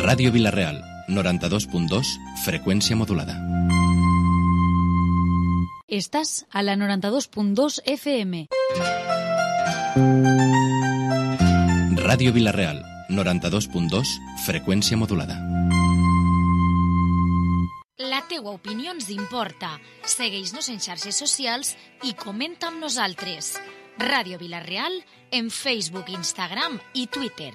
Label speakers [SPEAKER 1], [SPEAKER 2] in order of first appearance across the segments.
[SPEAKER 1] Ràdio Vila-real, 92.2, freqüència modulada.
[SPEAKER 2] Estàs a la 92.2 FM.
[SPEAKER 1] Ràdio Vila-real, 92.2, freqüència modulada.
[SPEAKER 2] La teua opinió ens importa. Segueix-nos en xarxes socials i comenta amb nosaltres. Ràdio Vila-real en Facebook, Instagram i Twitter.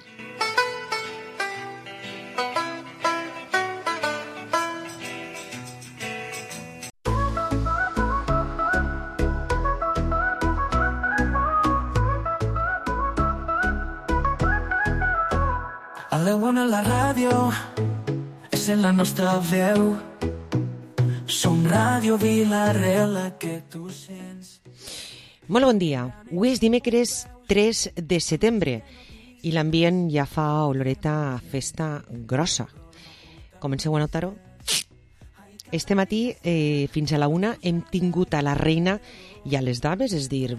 [SPEAKER 3] A la bona la ràdio és en la nostra veu. Som Ràdio Vila-real, la que tu sents.
[SPEAKER 4] Molt bon dia. Avui és dimecres 3 de setembre i l'ambient ja fa oloreta a festa grossa. Comenceu a notar-ho? Este matí, fins a la 1, hem tingut a la reina i a les dames, és dir,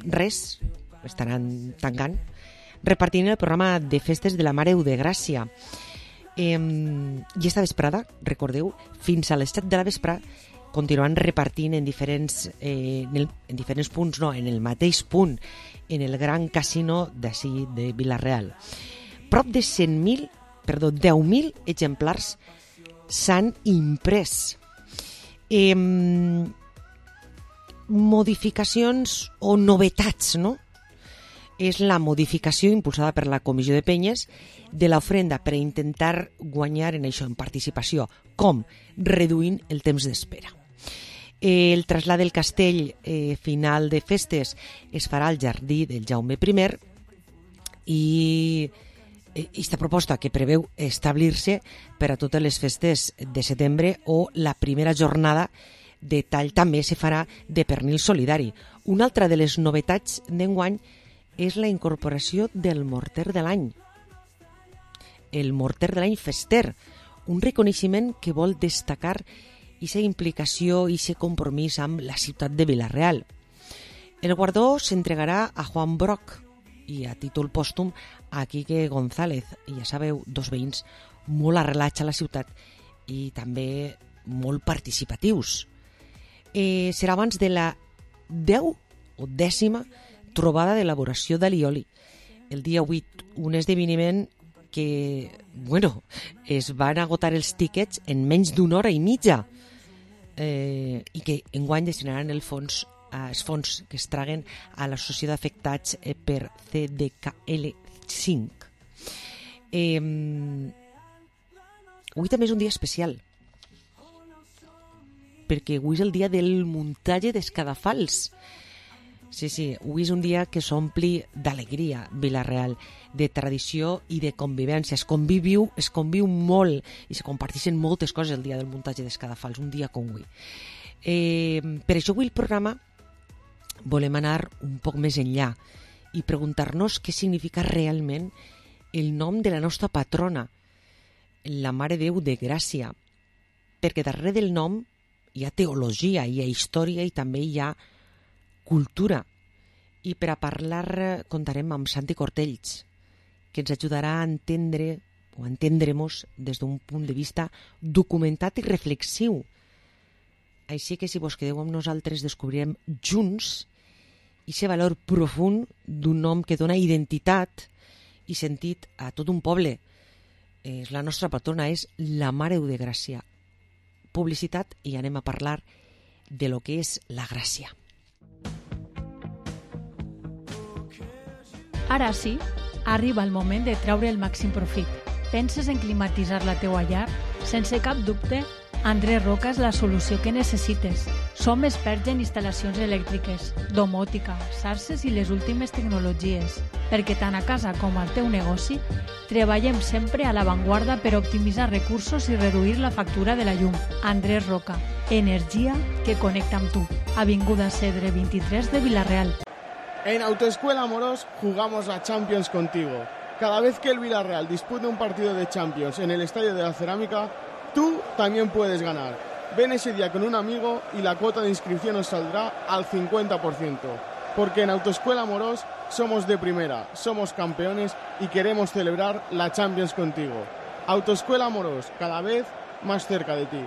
[SPEAKER 4] res, estaran tancant, repartint el programa de festes de la Mare de Gràcia. I esta vesprada, recordeu, fins a les 7 de la vesprada continuant repartint en diferents punts, no, en el mateix punt, en el gran casino d'ací de Vila-real. Prop de 10.000 exemplars s'han imprès. Modificacions o novetats, no? És la modificació impulsada per la Comissió de Penyes de l'ofrenda per intentar guanyar en això, en participació. Com? Reduint el temps d'espera. El trasllat del castell final de festes es farà al jardí del Jaume I i aquesta proposta que preveu establir-se per a totes les festes de setembre o la primera jornada de tall també se farà de pernil solidari. Una altra de les novetats d'enguany és la incorporació del morter de l'any. El morter de l'any fester, un reconeixement que vol destacar aquesta implicació i aquest compromís amb la ciutat de Vila-real. El guardó s'entregarà a Juan Broc i a títol pòstum a Quique González. I ja sabeu, dos veïns molt arrelats a la ciutat i també molt participatius. Serà abans de la 10ª trobada d'elaboració d'alioli, el dia 8, un esdeveniment que, es van agotar els tíquets en menys d'una hora i mitja i que enguany destinaran els fons que es traguen a l'associació d'afectats per CDKL5. Avui també és un dia especial, perquè avui és el dia del muntatge d'escadafals. Sí, avui és un dia que s'ompli d'alegria, Vila-real, de tradició i de convivència. Es conviu molt i se comparteixen moltes coses el dia del muntatge d'escadafals, un dia com avui. Per això avui el programa volem anar un poc més enllà i preguntar-nos què significa realment el nom de la nostra patrona, la Mare de Déu de Gràcia, perquè darrere del nom hi ha teologia, hi ha història i també hi ha cultura. I per a parlar contarem amb Santi Cortells, que ens ajudarà a entendre o a entendre-nos des d'un punt de vista documentat i reflexiu. Així que si vos quedeu amb nosaltres descobrirem junts aquest valor profund d'un nom que dona identitat i sentit a tot un poble. És la nostra patrona, és la Mare de Gràcia. Publicitat i anem a parlar de lo que és la gràcia.
[SPEAKER 5] Ara sí, arriba el moment de treure el màxim profit. Penses en climatitzar la teua llar? Sense cap dubte, Andrés Roca és la solució que necessites. Som experts en instal·lacions elèctriques, domòtica, xarxes i les últimes tecnologies, perquè tant a casa com al teu negoci treballem sempre a l'avantguarda per optimitzar recursos i reduir la factura de la llum. Andrés Roca, energia que connecta amb tu. Avinguda Cedre 23 de Vila-real.
[SPEAKER 6] En Autoescuela Amorós jugamos la Champions contigo. Cada vez que el Villarreal dispute un partido de Champions en el Estadio de la Cerámica, tú también puedes ganar. Ven ese día con un amigo y la cuota de inscripción os saldrá al 50%. Porque en Autoescuela Amorós somos de primera, somos campeones y queremos celebrar la Champions contigo. Autoescuela Amorós, cada vez más cerca de ti.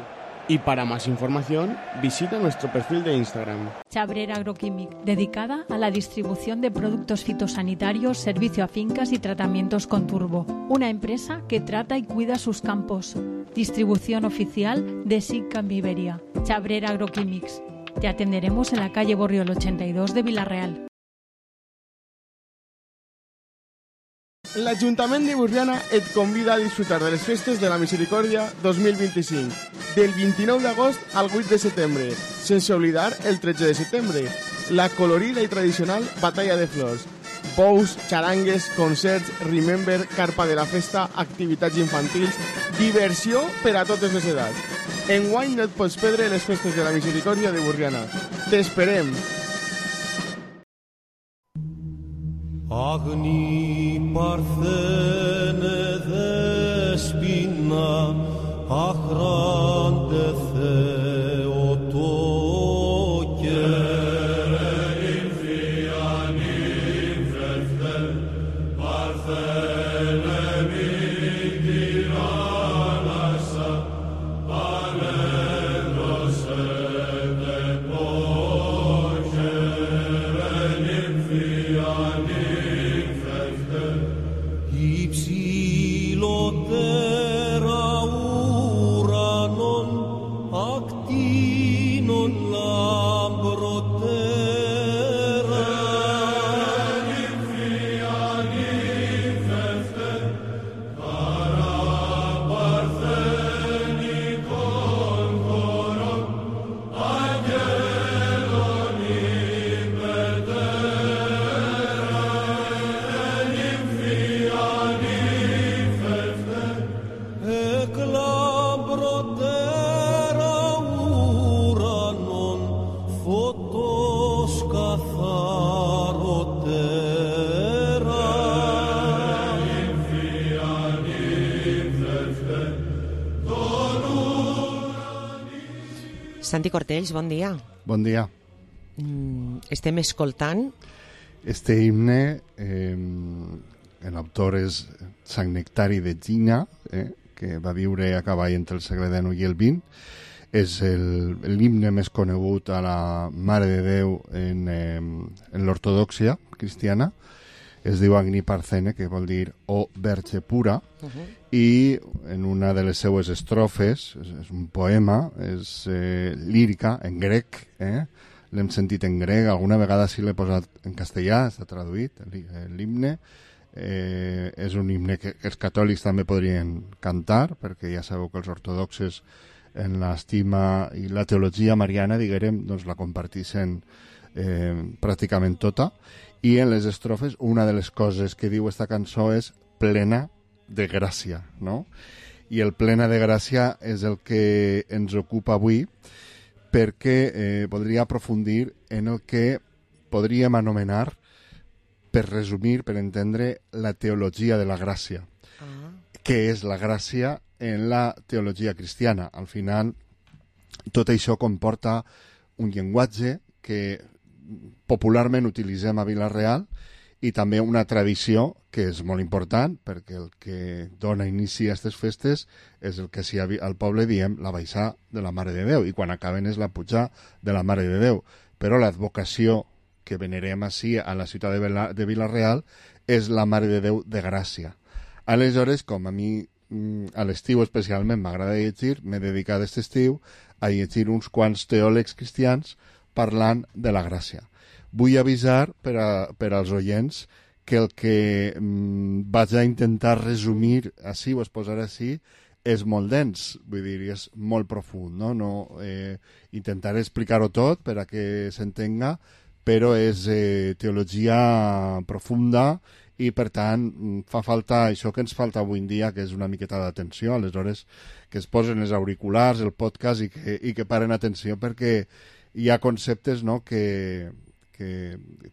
[SPEAKER 6] Y para más información, visita nuestro perfil de Instagram.
[SPEAKER 5] Chabrera Agroquímic, dedicada a la distribución de productos fitosanitarios, servicio a fincas y tratamientos con turbo. Una empresa que trata y cuida sus campos. Distribución oficial de SICAM Iberia. Chabrera Agroquímics. Te atenderemos en la calle Borriol 82 de Vila-real.
[SPEAKER 6] L'Ajuntament de Borriana et convida a disfrutar de les Festes de la Misericòrdia 2025, del 29 d'agost al 8 de setembre, sense oblidar el 13 de setembre, la colorida i tradicional Batalla de Flors, bous, xarangues, concerts, remember, carpa de la festa, activitats infantils, diversió per a totes les edats. Enguany no et pots perdre les Festes de la Misericòrdia de Borriana. T'esperem!
[SPEAKER 7] Agni parthene despina achrante theotoke infianim felfel parthene midiranasa alegros et epoche infianim Ipsilotera uranon actinon lambrotera Nymphianim feften cara partheni concoron angelon impetera Nymphianim feften eklabrotera uranon photos katharotera Nymphianim feften
[SPEAKER 4] Santi Cortells, bon dia.
[SPEAKER 8] Bon dia.
[SPEAKER 4] Estem escoltant
[SPEAKER 8] Este himne, l'autor és Sant Nectari de Gina, que va viure a cavall entre el segle XIX i el XX. És l'himne més conegut a la Mare de Déu en l'ortodòxia cristiana. Es diu Agni Parthene, que vol dir o verge pura, i en una de les seues estrofes, és un poema, és lírica, en grec, l'hem sentit en grec, alguna vegada sí l'he posat en castellà, està traduït, l'himne. És un himne que els catòlics també podrien cantar, perquè ja sabeu que els ortodoxes en l'estima i la teologia mariana, diguem, doncs la comparteixen pràcticament tota, i en les estrofes una de les coses que diu esta cançó és plena de gràcia, no? I el plena de gràcia és el que ens ocupa avui, perquè voldria aprofundir en el que podríem anomenar, per resumir, per entendre, la teologia de la gràcia. Què és la gràcia en la teologia cristiana? Al final, tot això comporta un llenguatge que popularment utilitzem a Vila-real i també una tradició que és molt important, perquè el que dona inici a aquestes festes és el que al poble diem la baixar de la Mare de Déu, i quan acaben és la pujar de la Mare de Déu. Però l'advocació que venerem així a la ciutat de Vila-real és la Mare de Déu de Gràcia. Aleshores, com a mi a l'estiu especialment m'agrada llegir, m'he dedicat aquest estiu a llegir uns quants teòlegs cristians parlant de la gràcia. Vull avisar per als oients que el que vaig a intentar resumir així, o exposar així, és molt dens, vull dir, és molt profund, no? Intentaré explicar-ho tot per a que s'entenga, però és teologia profunda i, per tant, fa falta això que ens falta avui en dia, que és una miqueta d'atenció. Aleshores, que es posen els auriculars, el podcast i que paren atenció, perquè hi ha conceptes, no?, que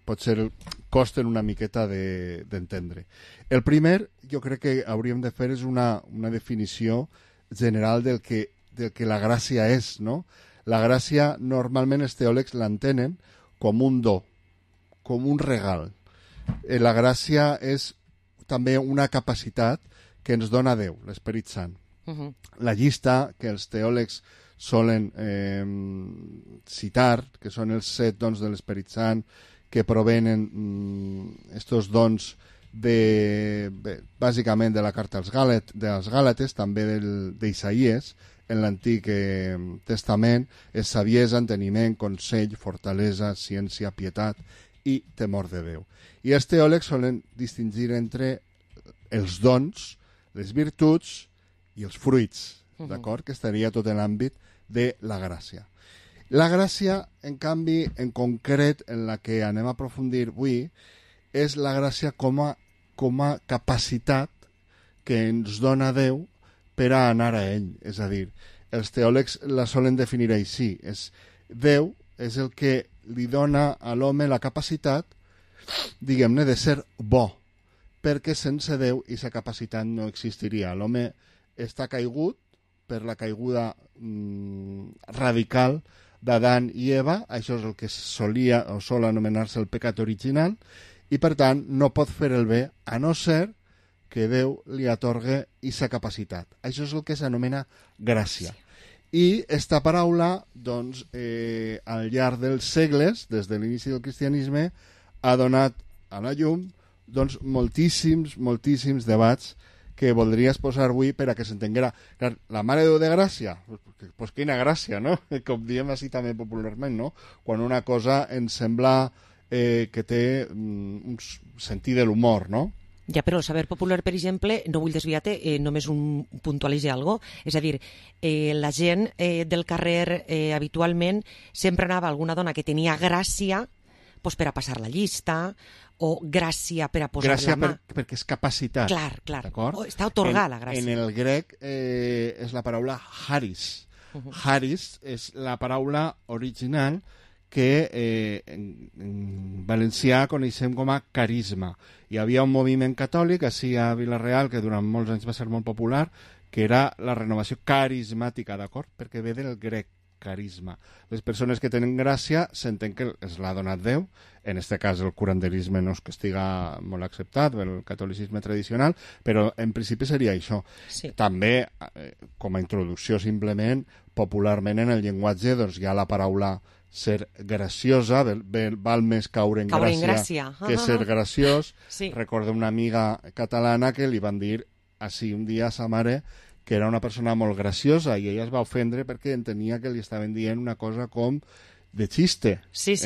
[SPEAKER 8] potser costen una miqueta d'entendre. El primer, jo crec que hauríem de fer és una definició general del que la gràcia és, no? La gràcia, normalment, els teòlegs l'entenen com un do, com un regal. la gràcia és també una capacitat que ens dona Déu, l'Esperit Sant. La llista que els teòlegs solen citar, que són els 7 dons de l'Esperit Sant, que provenen estos dons bàsicament de la carta als Gàlates, també d'Isaïes, en l'Antic Testament, és saviesa, enteniment, consell, fortalesa, ciència, pietat i temor de Déu. I els teòlegs solen distingir entre els dons, les virtuts i els fruits, d'acord? Que estaria tot en l'àmbit de la gràcia. La gràcia, en canvi, en concret, en la que anem a aprofundir avui, és la gràcia com a capacitat que ens dona Déu per a anar a ell. És a dir, els teòlegs la solen definir així. Déu és el que li dona a l'home la capacitat, diguem-ne, de ser bo, perquè sense Déu aquesta capacitat no existiria. L'home està caigut per la caiguda radical d'Adam i Eva, això és el que solia o sol anomenar-se el pecat original, i per tant no pot fer el bé a no ser que Déu li atorgue aquesta capacitat. Això és el que s'anomena gràcia. I esta paraula, doncs, al llarg dels segles, des de l'inici del cristianisme, ha donat a la llum doncs, moltíssims debats que voldries posar avui per a que s'entenguera. La Mare de Déu de Gràcia, pues quina gràcia, no? Com diem així també popularment, no? Quan una cosa ens sembla que té un sentit de l'humor, no?
[SPEAKER 4] Ja, però el saber popular, per exemple, no vull desviar-te, només puntualitzar alguna cosa. És a dir, la gent del carrer habitualment sempre anava a alguna dona que tenia gràcia pues, per a passar la llista o gràcia per a posar
[SPEAKER 8] gràcia
[SPEAKER 4] la mà.
[SPEAKER 8] Perquè és capacitat.
[SPEAKER 4] Clar. Està atorgada la gràcia.
[SPEAKER 8] En el grec és la paraula haris. Haris és la paraula original que en valencià coneixem com a carisma. Hi havia un moviment catòlic així a Vila-real que durant molts anys va ser molt popular, que era la renovació carismàtica, d'acord? Perquè ve del grec, carisma. Les persones que tenen gràcia senten que es l'ha donat Déu, en aquest cas el curanderisme no és que estiga molt acceptat, el catolicisme tradicional, però en principi seria això.
[SPEAKER 4] Sí.
[SPEAKER 8] També, com a introducció simplement, popularment en el llenguatge doncs, hi ha la paraula ser graciosa, val més caure en gràcia que ser graciós.
[SPEAKER 4] Sí.
[SPEAKER 8] Recordo una amiga catalana que li van dir així un dia a sa mare que era una persona molt graciosa i ella es va ofendre perquè entenia que li estaven dient una cosa com de xiste.
[SPEAKER 4] Sí.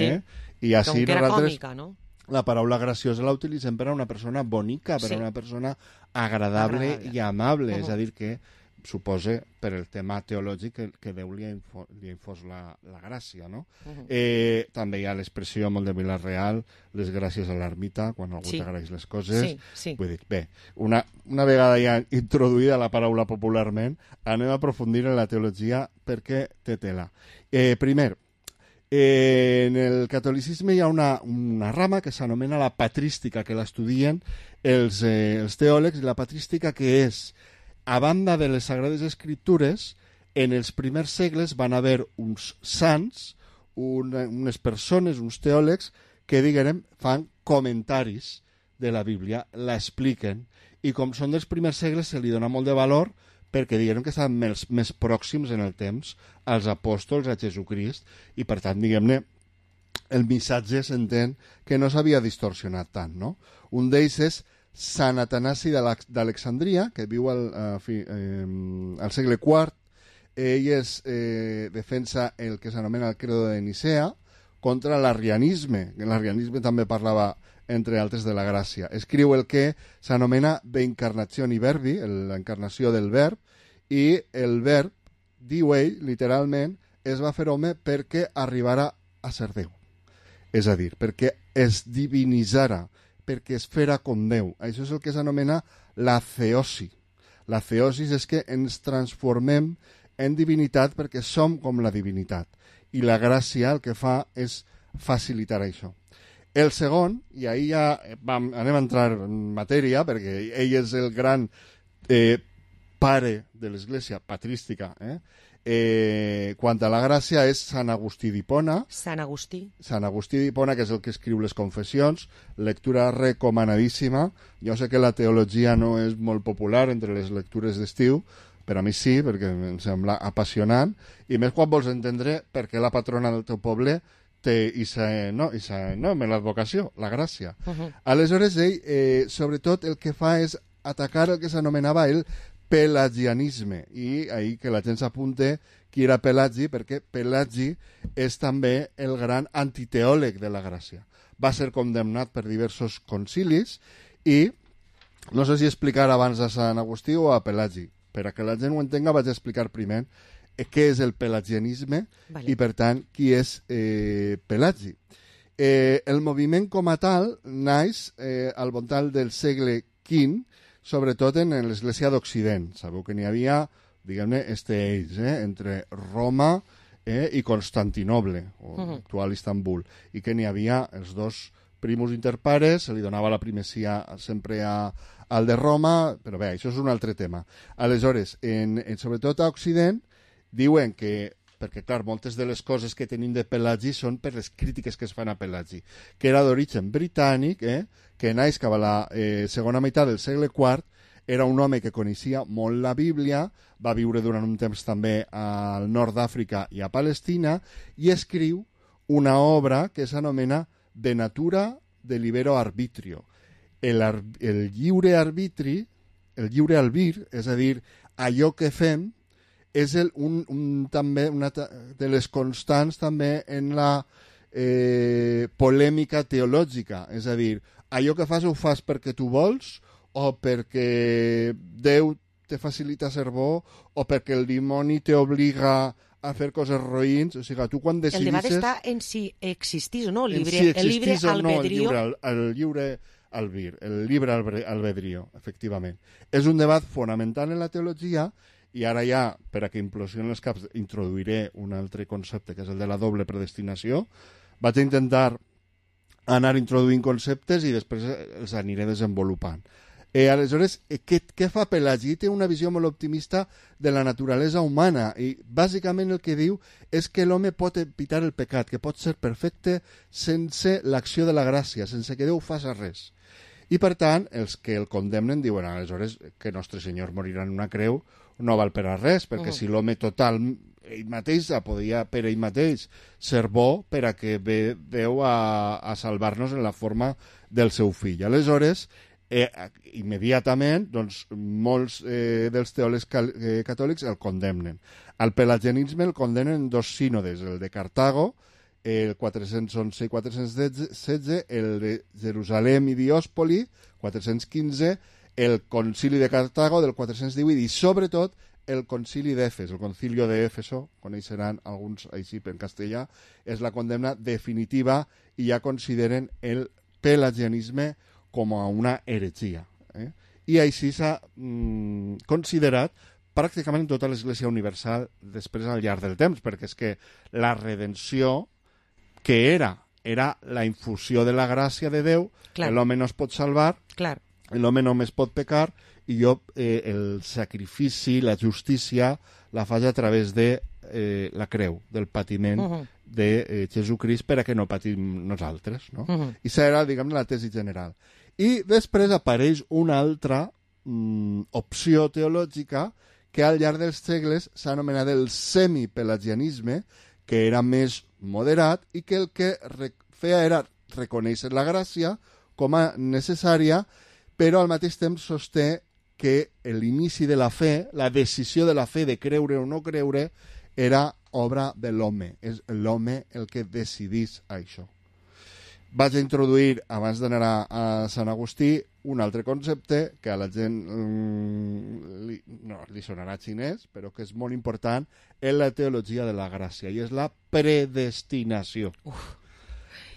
[SPEAKER 8] I així
[SPEAKER 4] com que era còmica, no?
[SPEAKER 8] La paraula graciosa la utilitzem per a una persona bonica, per a una persona agradable i amable, és a dir que suposa per el tema teològic que Déu li ha infós la gràcia, no? També hi ha l'expressió molt de Vila-real, les gràcies a l'ermita, quan algú t'agraeix les coses.
[SPEAKER 4] Sí.
[SPEAKER 8] Vull dir, bé, una vegada ja introduïda la paraula popularment, anem a aprofundir en la teologia perquè té tela. Primer, en el catolicisme hi ha una rama que s'anomena la patrística, que l'estudien els teòlegs, i la patrística que és a banda de les Sagrades Escriptures, en els primers segles van haver uns sants, unes persones, uns teòlegs, que, diguem, fan comentaris de la Bíblia, l'expliquen, i com són dels primers segles se li dona molt de valor perquè diguem que estan més pròxims en el temps als apòstols, a Jesucrist, i per tant, diguem-ne, el missatge s'entén que no s'havia distorsionat tant, no? Un d'ells és Sant Atanasi d'Alexandria, que viu al segle IV. Ell defensa el que s'anomena el credo de Nicea contra l'arrianisme. L'arrianisme també parlava, entre altres, de la gràcia. Escriu el que s'anomena De Incarnazione Verbi, l'encarnació del verb, i el verb, diu ell, literalment, es va fer home perquè arribara a ser Déu. És a dir, perquè es divinitzara, perquè es fera com Déu. Això és el que s'anomena la theosi. La theosi és que ens transformem en divinitat perquè som com la divinitat. I la gràcia el que fa és facilitar això. El segon, i ahir ja anem a entrar en matèria, perquè ell és el gran pare de l'Església patrística, Quant a la gràcia és Sant Agustí d'Hipona.
[SPEAKER 4] Sant Agustí
[SPEAKER 8] d'Hipona, que és el que escriu les confessions, lectura recomanadíssima. Jo sé que la teologia no és molt popular entre les lectures d'estiu, però a mi sí, perquè em sembla apassionant, i més quan vols entendre per què la patrona del teu poble té l'advocació, la gràcia. Aleshores, ell, sobretot, el que fa és atacar el que s'anomenava el pelagianisme, i ahir que la gent s'apunte qui era Pelagi, perquè Pelagi és també el gran antiteòleg de la gràcia. Va ser condemnat per diversos concilis i no sé si explicar abans a Sant Agustí o a Pelagi. Per a que la gent ho entenga vaig explicar primer què és el pelagianisme i, per tant, qui és Pelagi. El moviment com a tal naix al voltant del segle V, sobretot en l'Església d'Occident. Sabeu que n'hi havia, diguem-ne, eix entre Roma i Constantinoble, o actual Istanbul, i que n'hi havia els dos primus inter pares, se li donava la primacia sempre al de Roma, però bé, això és un altre tema. Aleshores, sobretot a Occident, diuen que, perquè clar, moltes de les coses que tenim de Pelagi són per les crítiques que es fan a Pelagi, que era d'origen britànic, que naix cap a la segona meitat del segle IV, era un home que coneixia molt la Bíblia, va viure durant un temps també al nord d'Àfrica i a Palestina, i escriu una obra que s'anomena De natura de libero arbitrio. El lliure arbitri, el lliure albir, és a dir, allò que fem, és també una de les constants també en la polèmica teològica. És a dir, allò que fas ho fas perquè tu vols o perquè Déu te facilita ser bo o perquè el dimoni t'obliga a fer coses roïns. O sigui, tu quan decidices...
[SPEAKER 4] El debat està en si existís o no el llibre albedrío.
[SPEAKER 8] El lliure albir, el llibre albedrío, efectivament. És un debat fonamental en la teologia. I ara ja, per a que implosionen els caps, introduiré un altre concepte, que és el de la doble predestinació. Vaig a intentar anar introduint conceptes i després els aniré desenvolupant. Aleshores, què fa Pelagi? Té una visió molt optimista de la naturalesa humana i bàsicament el que diu és que l'home pot evitar el pecat, que pot ser perfecte sense l'acció de la gràcia, sense que Déu faci res. I per tant, els que el condemnen diuen aleshores que Nostre Senyor morirà en una creu no val per a res, perquè si l'home total ell mateix podia per ell mateix ser bo per a que ve Déu a salvar-nos en la forma del seu fill. Aleshores, immediatament, doncs, molts dels teòlegs catòlics el condemnen. Al pelagianisme el condemnen en dos sínodes, el de Cartago, el 411 i 416, el de Jerusalem i Diòspoli, 415, el concili de Cartago del 418 i, sobretot, el concili d'Efes, el concilio de Éfeso, coneixeran alguns així en castellà, és la condemna definitiva i ja consideren el pelagianisme com a una heretgia. I així s'ha considerat pràcticament tota l'Església Universal després al llarg del temps, perquè és que la redenció que era la infusió de la gràcia de Déu, l'home no es pot salvar, l'home només pot pecar, i el sacrifici, la justícia, la faig a través de la creu, del patiment de Jesucrist per a que no patim nosaltres. No? I això era, diguem, la tesi general. I després apareix una altra opció teològica que al llarg dels segles s'ha anomenat el semipelagianisme, que era més moderat i que el que feia era reconèixer la gràcia com a necessària, però al mateix temps sosté que l'inici de la fe, la decisió de la fe de creure o no creure, era obra de l'home. És l'home el que decidís això. Vaig a introduir, abans d'anar a Sant Agustí, un altre concepte que a la gent li sonarà xinès, però que és molt important en la teologia de la gràcia, i és la predestinació.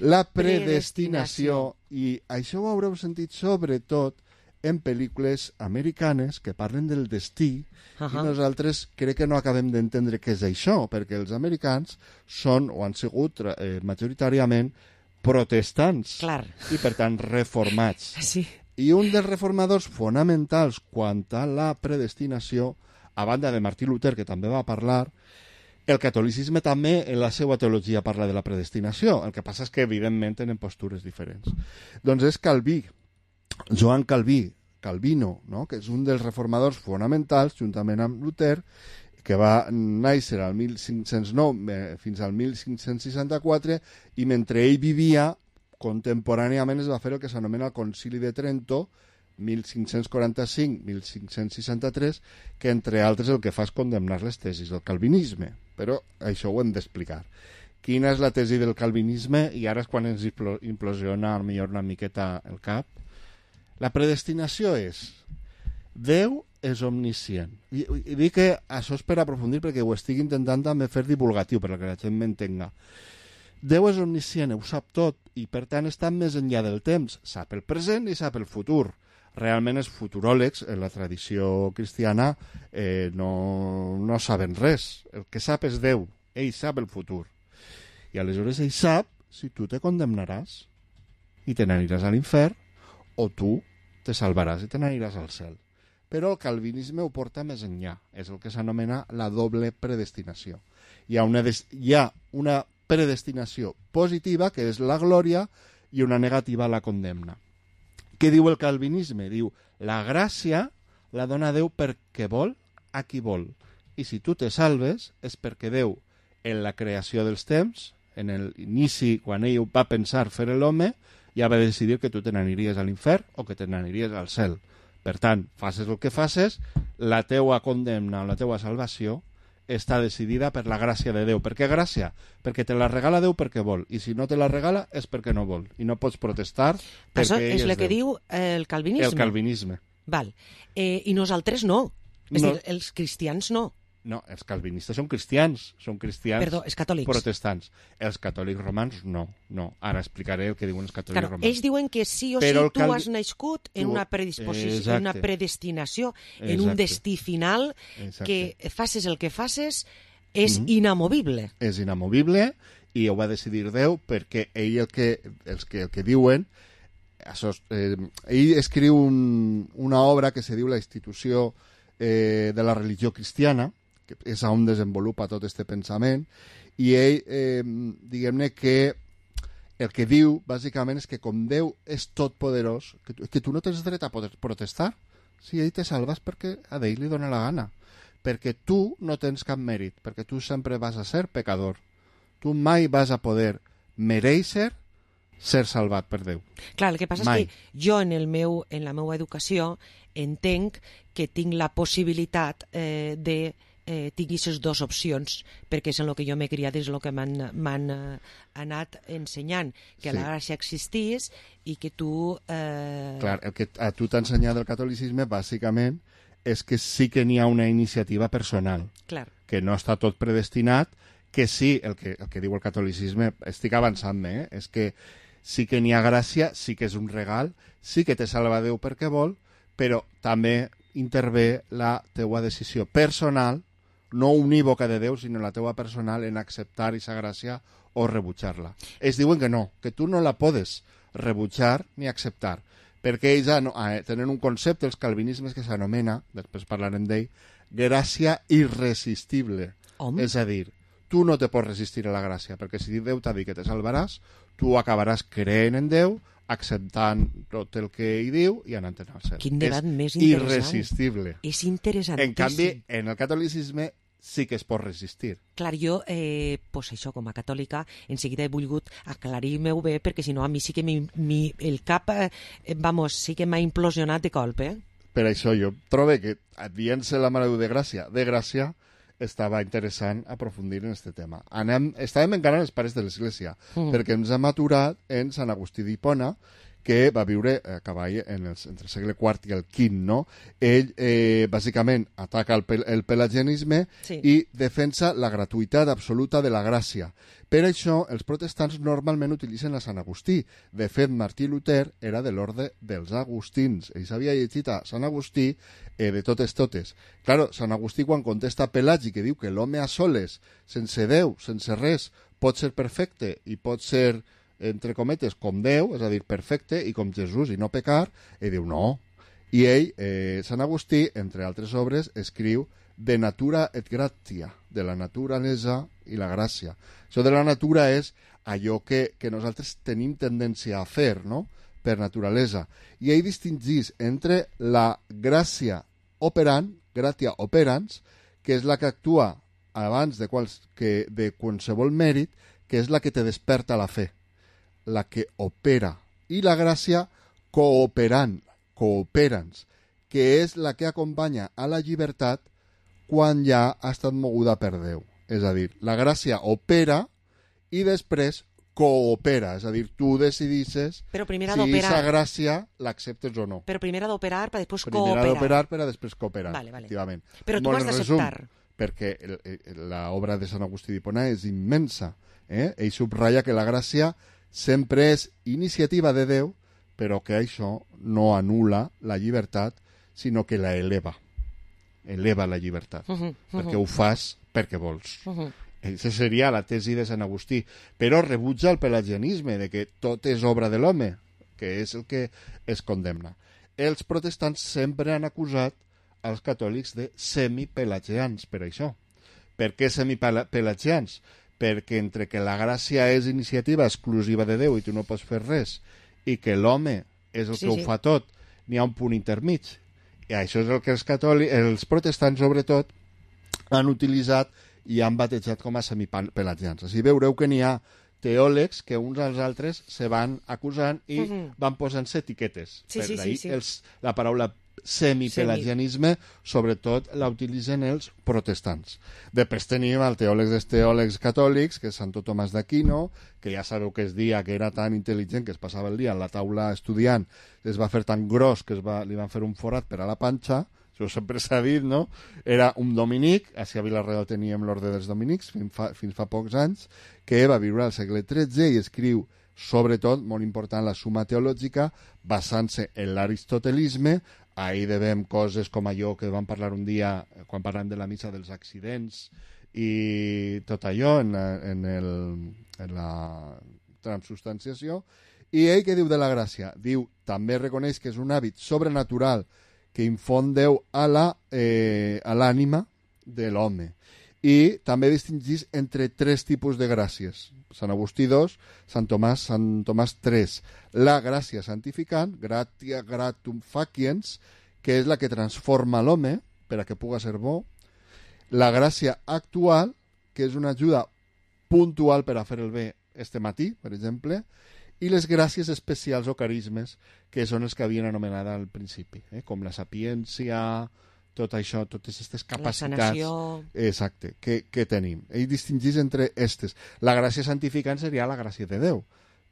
[SPEAKER 8] La predestinació, i això ho haureu sentit sobretot en pel·lícules americanes que parlen del destí, i nosaltres crec que no acabem d'entendre què és això, perquè els americans són o han sigut majoritàriament protestants i per tant reformats. I un dels reformadors fonamentals quant a la predestinació a banda de Martí Luter, que també va parlar, el catolicisme també en la seva teologia parla de la predestinació. El que passa és que, evidentment, tenen postures diferents. Doncs és Calví, Joan Calví, Calvino, no? Que és un dels reformadors fonamentals, juntament amb Luter, que va néixer al 1509 fins al 1564, i mentre ell vivia, contemporàniament es va fer el que s'anomena el Concili de Trento, 1545-1563, que entre altres el que fa és condemnar les tesis del calvinisme. Però això ho hem d'explicar. Quina és la tesi del calvinisme? I ara és quan ens implosiona millor una miqueta el cap. La predestinació és: Déu és omniscient. I dic que això és per aprofundir, perquè ho estic intentant també fer divulgatiu, perquè la gent m'entenga. Déu és omniscient, ho sap tot, i per tant està més enllà del temps. Sap el present i sap el futur. Realment els futuròlegs, en la tradició cristiana, no saben res. El que sap és Déu. Ell sap el futur. I aleshores ell sap si tu te condemnaràs i te n'aniràs a l'infern, o tu te salvaràs i te n'aniràs al cel. Però el calvinisme ho porta més enllà. És el que s'anomena la doble predestinació. Hi ha una predestinació positiva, que és la glòria, i una negativa, la condemna. Què diu el calvinisme? Diu, la gràcia la dona Déu perquè vol a qui vol. I si tu te salves és perquè Déu, en la creació dels temps, en l'inici, quan ell va pensar fer l'home, ja va decidir que tu te n'aniries a l'infern o que te n'aniries al cel. Per tant, faces el que faces, la teua condemna o la teua salvació està decidida per la gràcia de Déu. Per què gràcia? Perquè te la regala Déu perquè vol, i si no te la regala és perquè no vol, i no pots protestar perquè
[SPEAKER 4] això
[SPEAKER 8] ell
[SPEAKER 4] és el que
[SPEAKER 8] Déu.
[SPEAKER 4] diu el calvinisme.
[SPEAKER 8] El calvinisme.
[SPEAKER 4] Val. I nosaltres no. És
[SPEAKER 8] No.
[SPEAKER 4] dir, els cristians no.
[SPEAKER 8] No, els calvinistes són cristians
[SPEAKER 4] Perdó, els catòlics.
[SPEAKER 8] protestants. Els catòlics romans no. Ara explicaré el que diuen els catòlics
[SPEAKER 4] Claro,
[SPEAKER 8] romans.
[SPEAKER 4] ells diuen que sí o sí
[SPEAKER 8] Però el
[SPEAKER 4] tu has nascut en una predisposició, en una predestinació, en un
[SPEAKER 8] Exacte.
[SPEAKER 4] destí final,
[SPEAKER 8] Exacte.
[SPEAKER 4] que faces el que faces és inamovible.
[SPEAKER 8] És inamovible, i ho va decidir Déu, perquè ell el que diuen, ell escriu una obra que se diu La institució de la religió cristiana, que és on desenvolupa tot este pensament, i ell, diguem-ne que el que diu, bàsicament, és que com Déu és totpoderós, que tu no tens dret a poder protestar. Si ell te salves perquè a ell li dona la gana. Perquè tu no tens cap mèrit, perquè tu sempre vas a ser pecador. Tu mai vas a poder mereixer ser salvat per Déu.
[SPEAKER 4] Clar, el que passa
[SPEAKER 8] Mai.
[SPEAKER 4] és que jo en la meva educació entenc que tinc la possibilitat de tinc aquestes dues opcions, perquè és en el que jo m'he criat, és el que m'han anat ensenyant, que la gràcia existís i que tu...
[SPEAKER 8] Clar, el que a tu t'ha ensenyat el catolicisme, bàsicament, és que sí que n'hi ha una iniciativa personal,
[SPEAKER 4] Clar.
[SPEAKER 8] que no està tot predestinat, que sí, el que diu el catolicisme, estic avançant-me, és que sí que n'hi ha gràcia, sí que és un regal, sí que te salva Déu perquè vol, però també intervé la teua decisió personal, no unívoca de Déu, sinó la teua personal, en acceptar aquesta gràcia o rebutjar-la. Ells diuen que no, que tu no la podes rebutjar ni acceptar, perquè ells tenen un concepte, els calvinismes, que s'anomena, després parlarem d'ell, gràcia irresistible.
[SPEAKER 4] Home.
[SPEAKER 8] És a dir, tu no te pots resistir a la gràcia, perquè si Déu t'ha dit que te salvaràs, tu acabaràs creent en Déu, acceptant tot el que ell diu i anant al cel.
[SPEAKER 4] Quin debat més
[SPEAKER 8] És
[SPEAKER 4] interessant.
[SPEAKER 8] irresistible.
[SPEAKER 4] És interessantíssim.
[SPEAKER 8] En canvi, en el catolicisme sí que es pot resistir.
[SPEAKER 4] Clar, jo, pues això, com a catòlica, en seguida he volgut aclarir-me-ho bé, perquè si no a mi sí que el cap, sí que m'ha implosionat de colp,
[SPEAKER 8] Per això jo trobo que, dient-se la Mare de Gràcia, estava interessant aprofundir en aquest tema. Estàvem encara en els pares de l'Església, perquè ens hem aturat en Sant Agustí d'Hipona, que va viure a cavall entre el segle IV i el V, no? Ell, bàsicament, ataca el pelagianisme i defensa la gratuïtat absoluta de la gràcia. Per això, els protestants normalment utilitzen a Sant Agustí. De fet, Martí Luter era de l'orde dels agustins. Ell s'havia llegit a Sant Agustí de totes. Claro, Sant Agustí, quan contesta a Pelagi, que diu que l'home a soles, sense Déu, sense res, pot ser perfecte i pot ser, entre cometes, com Déu, és a dir, perfecte, i com Jesús, i no pecar, ell diu no. I ell, Sant Agustí, entre altres obres, escriu de natura et gratia, de la naturalesa i la gràcia. Això de la natura és allò que nosaltres tenim tendència a fer, no?, per naturalesa. I ell distingís entre la gràcia operant, gratia operans, que és la que actua abans de qualsevol mèrit, que és la que te desperta la fe, la que opera, i la gràcia cooperans, que és la que acompanya a la llibertat quan ja ha estat moguda per Déu. És a dir, la gràcia opera i després coopera, és a dir, tu decidisses si aquesta gràcia l'acceptes o no.
[SPEAKER 4] Però primer ha d'operar per després cooperar.
[SPEAKER 8] Primer ha d'operar per a després cooperar,
[SPEAKER 4] vale.
[SPEAKER 8] efectivament.
[SPEAKER 4] Però tu has d'acceptar.
[SPEAKER 8] Perquè l'obra de Sant Agustí d'Hipona és immensa. Ell subratlla que la gràcia sempre és iniciativa de Déu, però que això no anul·la la llibertat, sinó que la eleva. Eleva la llibertat. Perquè ho fas perquè vols. Aquesta seria la tesi de Sant Agustí. Però rebutja el pelagianisme, de que tot és obra de l'home, que és el que es condemna. Els protestants sempre han acusat als catòlics de semipelagians, per això. Per què semipelagians? Perquè entre que la gràcia és iniciativa exclusiva de Déu i tu no pots fer res, i que l'home és el que ho fa tot, n'hi ha un punt intermig. I això és el que els protestants, sobretot, han utilitzat i han batejat com a semipelagians. Així veureu que n'hi ha teòlegs que uns als altres se van acusant i van posant-se etiquetes. La paraula semipelagianisme, sobretot, la utilitzen els protestants. Després tenim el teòleg dels teòlegs catòlics, que és Santo Tomàs d'Aquino, que ja sabeu que es dia que era tan intel·ligent que es passava el dia en la taula estudiant, es va fer tan gros que li van fer un forat per a la panxa. Això sempre s'ha dit, no? Era un dominic, a Vila-real teníem l'ordre dels dominics fins fa pocs anys, que va viure al segle XIII i escriu, sobretot, molt important, la Summa Teològica, basant-se en l'aristotelisme. Ahir devem coses com allò que vam parlar un dia quan parlem de la missa dels accidents i tot allò en la transubstanciació. I ell què diu de la gràcia? Diu, també reconeix que és un hàbit sobrenatural que infon Déu a l'ànima de l'home. I també distingís entre tres tipus de gràcies. Sant Agustí 2, Sant Tomàs 3. La gràcia santificant, gratia gratum faciens, que és la que transforma l'home per a que puga ser bo. La gràcia actual, que és una ajuda puntual per a fer el bé este matí, per exemple, i les gràcies especials o carismes, que són els que havien anomenat al principi, com la sapiència, tot això, totes aquestes capacitats, exacte, que tenim. Ell distingís entre aquestes. La gràcia santificant seria la gràcia de Déu,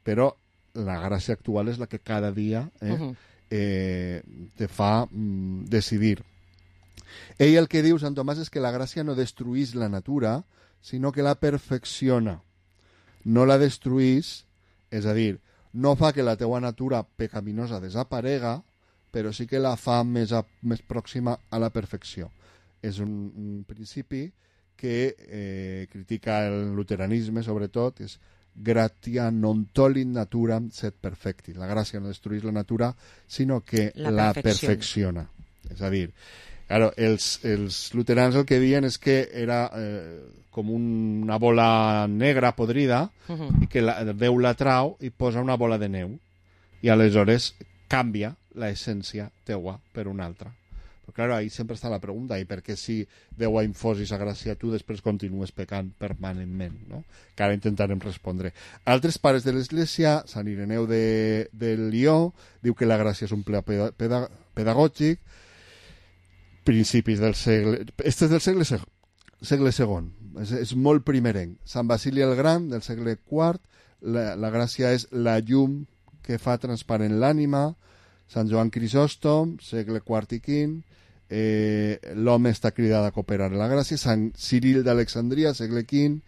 [SPEAKER 8] però la gràcia actual és la que cada dia te fa decidir. Ell el que diu, Sant Tomàs, és que la gràcia no destruís la natura, sinó que la perfecciona. No la destruís, és a dir, no fa que la teua natura pecaminosa desaparega, però sí que la fa més pròxima a la perfecció. És un principi que critica el luteranisme, sobretot, és gratia non tollit naturam sed perfecti. La gràcia no destruís la natura, sinó que la perfecciona. És a dir, claro, els luterans el que diuen és que era com una bola negra podrida i que Déu la trau i posa una bola de neu i aleshores canvia l'essència teua per una altra. Però clar, ahí sempre està la pregunta, i per què si Déu ha infós aquesta gràcia tu després continues pecant permanentment, no? Que ara intentarem respondre. Altres pares de l'Església, Sant Ireneu de Lió, diu que la gràcia és un ple pedagògic, principis del segle... Este és del segle II, és molt primerenc. Sant Basili el Gran, del segle IV, la gràcia és la llum que fa transparent l'ànima. Sant Joan Crisòstom, segle IV i V, l'home està cridat a cooperar en la gràcia. Sant Ciril d'Alexandria, segle V,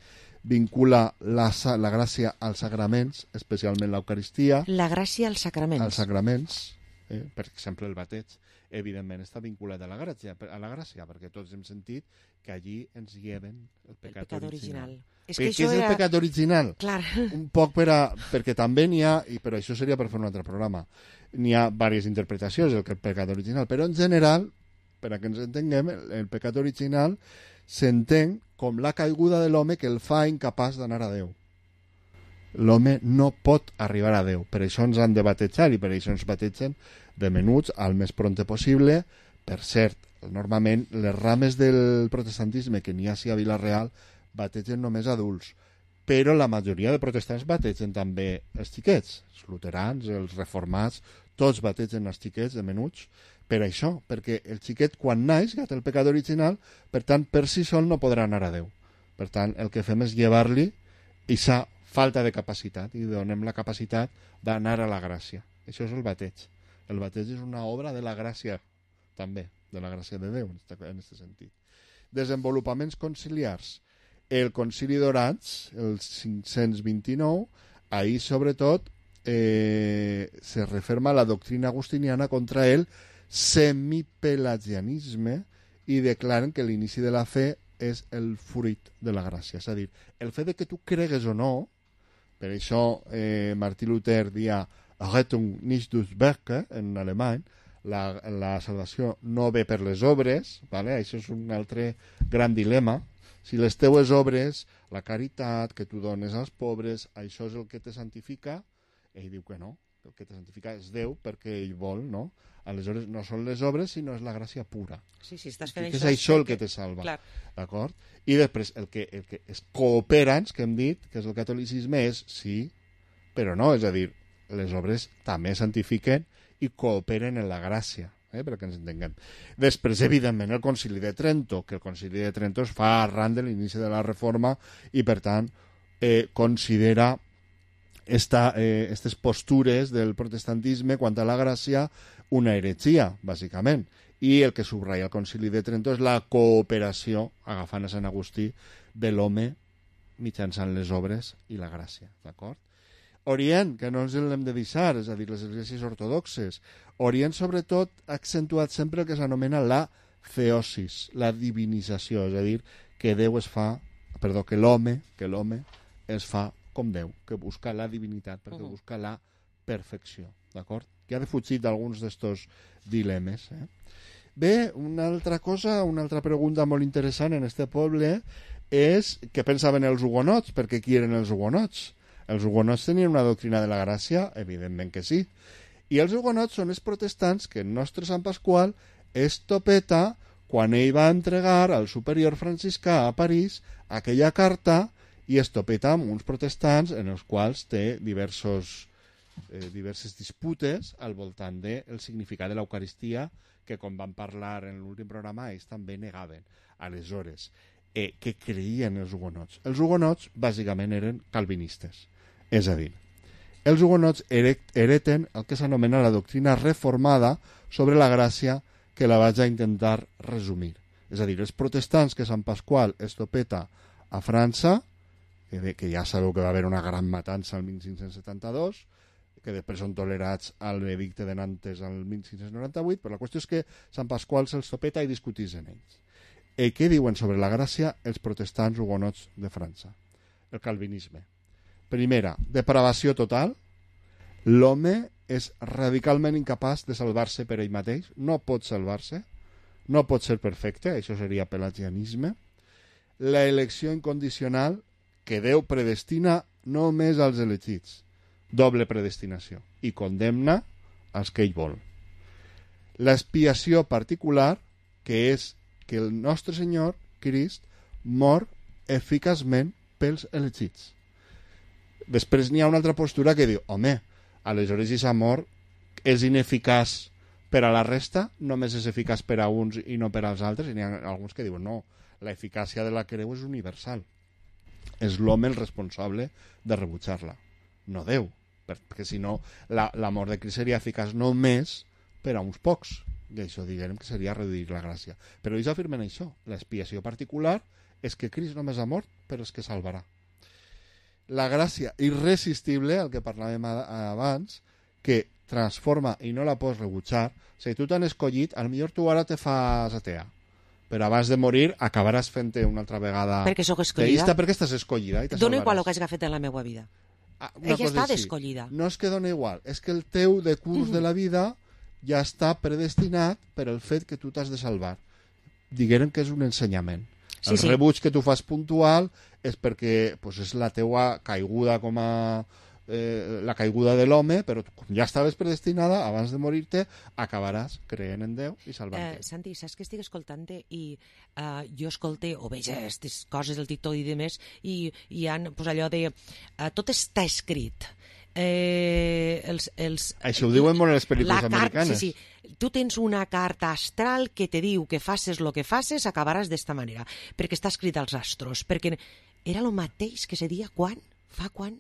[SPEAKER 8] vincula la gràcia als sagraments, especialment l'Eucaristia.
[SPEAKER 4] La gràcia als sagraments.
[SPEAKER 8] Als sagraments, per exemple el bateig, evidentment està vinculat a la gràcia, perquè tots hem sentit que allí ens lleven el pecat original.
[SPEAKER 4] És
[SPEAKER 8] que què és el pecat original?
[SPEAKER 4] Clar.
[SPEAKER 8] Un poc perquè també n'hi ha, i però això seria per fer un altre programa, n'hi ha diverses interpretacions del pecat original, però en general per a que ens entenguem, el pecat original s'entén com la caiguda de l'home que el fa incapaç d'anar a Déu. L'home no pot arribar a Déu, per això ens han de batejar i per això ens bategen de menuts al més prompte possible. Per cert, normalment les rames del protestantisme que n'hi ha a Vila-real bategen només adults, però la majoria de protestants bategen també els xiquets, els luterans, els reformats, tots bategen els xiquets de menuts, per això, perquè el xiquet quan naix ja té el pecat original, per tant per si sol no podrà anar a Déu. Per tant el que fem és llevar-li aquesta falta de capacitat i donem la capacitat d'anar a la gràcia. Això és el bateig. El bateig és una obra de la gràcia també, de la gràcia de Déu en aquest sentit. Desenvolupaments conciliars. El concili d'Orange, el 529, ahí sobretot se referma la doctrina agustiniana contra el semipelagianisme i declaren que l'inici de la fe és el fruit de la gràcia. És a dir, el fet de que tu cregues o no, per això Martí Luter dia Rettung nicht durch Werke en alemany, la salvació no ve per les obres, ¿vale? Això és un altre gran dilema. Si les teues obres, la caritat, que tu dones als pobres, això és el que te santifica, ell diu que no, el que te santifica és Déu perquè ell vol, no? Aleshores no són les obres sinó és la gràcia pura.
[SPEAKER 4] Sí, sí, estàs fent
[SPEAKER 8] això. És això el que te salva.
[SPEAKER 4] Clar.
[SPEAKER 8] D'acord? I després el que és cooperants, que hem dit, que és el catolicisme, és sí, però no, és a dir, les obres també santifiquen i cooperen en la gràcia, perquè ens entenguem. Després, evidentment, el Concili de Trento, que el Concili de Trento es fa arran de l'inici de la Reforma i, per tant, considera aquestes postures del protestantisme quant a la gràcia una heretgia, bàsicament. I el que subratlla el Concili de Trento és la cooperació, agafant a Sant Agustí, de l'home mitjançant les obres i la gràcia. D'acord? Orient, que no ens l'hem de deixar, és a dir, les esglésies ortodoxes. Orient, sobretot, ha accentuat sempre el que s'anomena la theosis, la divinització, és a dir, que l'home es fa com Déu, que busca la divinitat, perquè busca la perfecció, d'acord? Que ha defugit d'alguns d'estos dilemes. Bé, una altra cosa, una altra pregunta molt interessant en este poble és què pensaven els hugonots, perquè qui eren els hugonots? Els hugonots tenien una doctrina de la gràcia? Evidentment que sí. I els hugonots són els protestants que el nostre Sant Pasqual estopeta quan ell va entregar al superior franciscà a París aquella carta i estopeta amb uns protestants en els quals té diverses disputes al voltant del significat de l'Eucaristia que, com vam parlar en l'últim programa, ells també negaven. Aleshores, què creien els hugonots? Els hugonots, bàsicament, eren calvinistes. És a dir, els hugonots hereten el que s'anomena la doctrina reformada sobre la gràcia, que la vaig a intentar resumir. És a dir, els protestants que Sant Pasqual estopeta a França, que ja sabeu que va haver una gran matança al 1572, que després són tolerats al edicte de Nantes al 1598, però la qüestió és que Sant Pasqual se'ls topeta i discuteixen ells. Què diuen sobre la gràcia els protestants hugonots de França? El calvinisme. Primera, depravació total. L'home és radicalment incapaç de salvar-se per ell mateix, no pot salvar-se, no pot ser perfecte, això seria pelagianisme. La elecció incondicional, que Déu predestina només als elegits, doble predestinació, i condemna als que ell vol. L'expiació particular, que és que el nostre Senyor, Crist, mor eficaçment pels elegits. Després n'hi ha una altra postura que diu, home, aleshores aquesta mort és ineficaç per a la resta, només és eficaç per a uns i no per als altres, i n'hi ha alguns que diuen, no, la eficàcia de la creu és universal. És l'home el responsable de rebutjar-la, no Déu, perquè si no la mort de Crist seria eficaç només per a uns pocs, i això diguem que seria reduir la gràcia. Però ells afirmen això, l'expiació particular és que Crist només ha mort per als que salvarà. La gràcia irresistible, el que parlàvem abans, que transforma i no la pots rebutjar. Si tu t'han escollit, potser tu ara te fas atea, però abans de morir acabaràs fent-te una altra vegada
[SPEAKER 4] perquè sóc escollida,
[SPEAKER 8] teista, perquè estàs escollida i te
[SPEAKER 4] dona
[SPEAKER 8] salvaràs.
[SPEAKER 4] igual el que hagi fet en la meva vida. Ella està escollida.
[SPEAKER 8] No és que dona igual, és que el teu decurs de la vida ja està predestinat per el fet que tu t'has de salvar. Diguem que és un ensenyament.
[SPEAKER 4] Sí,
[SPEAKER 8] el
[SPEAKER 4] sí.
[SPEAKER 8] rebuig que tu fas puntual és perquè pues, és la teua caiguda com a la caiguda de l'home, però tu, com ja estaves predestinada, abans de morir-te acabaràs creent en Déu i salvant-te.
[SPEAKER 4] Santi, saps que estic escoltant-te i jo escolte o veig aquestes coses del TikTok i demés i hi ha pues, allò de tot està escrit.
[SPEAKER 8] Això ho diuen molt les pel·lícules americanes.
[SPEAKER 4] Sí. Tu tens una carta astral que te diu que faces lo que faces acabaràs d'esta manera, perquè està escrit als astros, perquè era el mateix que se dia quan? Fa quan?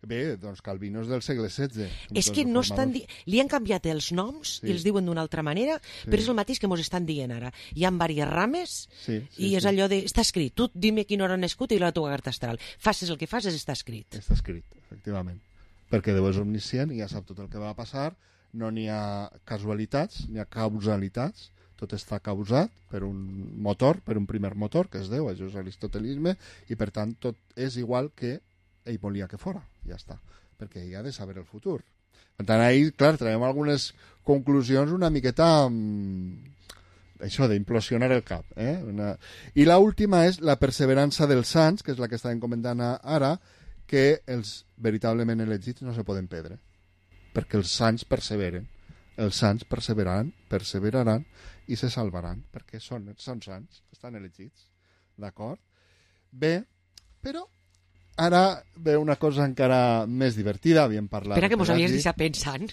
[SPEAKER 8] Bé, doncs Calvino és del segle XVI.
[SPEAKER 4] És que no estan li han canviat els noms i els diuen d'una altra manera, però és el mateix que mos estan dient ara. Hi ha diverses rames i és allò de... Està escrit, tu dime quina hora has nascut i la teva carta astral. Faces el que faces, està escrit.
[SPEAKER 8] Està escrit, efectivament. Perquè Déu és omniscient i ja sap tot el que va passar, no n'hi ha casualitats, n'hi ha causalitats, tot està causat per un motor, per un primer motor, que és Déu, això és l'aristotelisme, i per tant tot és igual que ell volia que fora, ja està, perquè ell ha de saber el futur. Per tant, ahir, clar, traiem algunes conclusions una miqueta això d'implosionar el cap. I l'última és la perseverança dels sants, que és la que estàvem comentant ara, que els veritablement elegits no se poden perdre, perquè els sants perseveren, els sants perseveraran i se salvaran, perquè són sants, estan elegits, d'acord? Bé, però ara ve una cosa encara més divertida, havíem parlat...
[SPEAKER 4] Espera, que mos havies deixat pensant.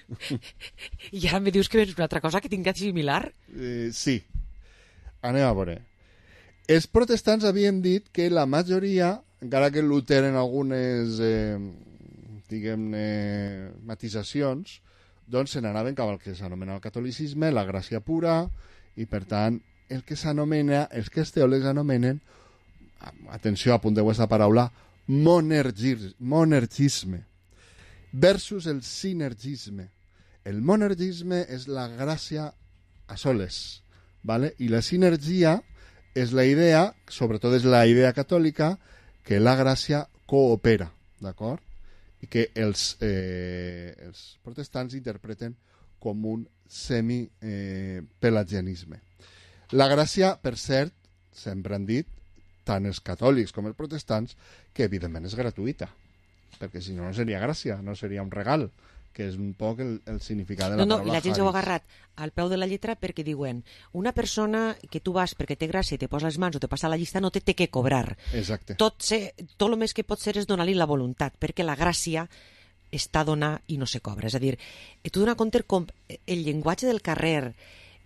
[SPEAKER 4] I ara me dius que és una altra cosa que tingués similar?
[SPEAKER 8] Sí. Anem a veure. Els protestants havíem dit que la majoria, encara que Luter en algunes, diguem-ne, matisacions, doncs se n'anaven cap al que s'anomena el catolicisme, la gràcia pura, i per tant, el que s'anomena, els que els teòlegs anomenen, atenció, apunteu aquesta paraula, monergisme versus el sinergisme. El monergisme és la gràcia a soles, ¿vale? I la sinergia és la idea, sobretot és la idea catòlica, que la gràcia coopera, d'acord? I que els protestants interpreten com un semi-pelagianisme. La gràcia, per cert, sempre han dit, tant els catòlics com els protestants, que evidentment és gratuïta, perquè si no, no seria gràcia, no seria un regal, que és un poc el significat de la paraula.
[SPEAKER 4] I la gent s'ho ha agarrat al peu de la lletra perquè diuen una persona que tu vas perquè té gràcia i te posa les mans o te passa la llista no té que cobrar.
[SPEAKER 8] Exacte.
[SPEAKER 4] Tot el més que pot ser és donar-li la voluntat, perquè la gràcia està a donar i no se cobra. És a dir, tu donar compte com el llenguatge del carrer,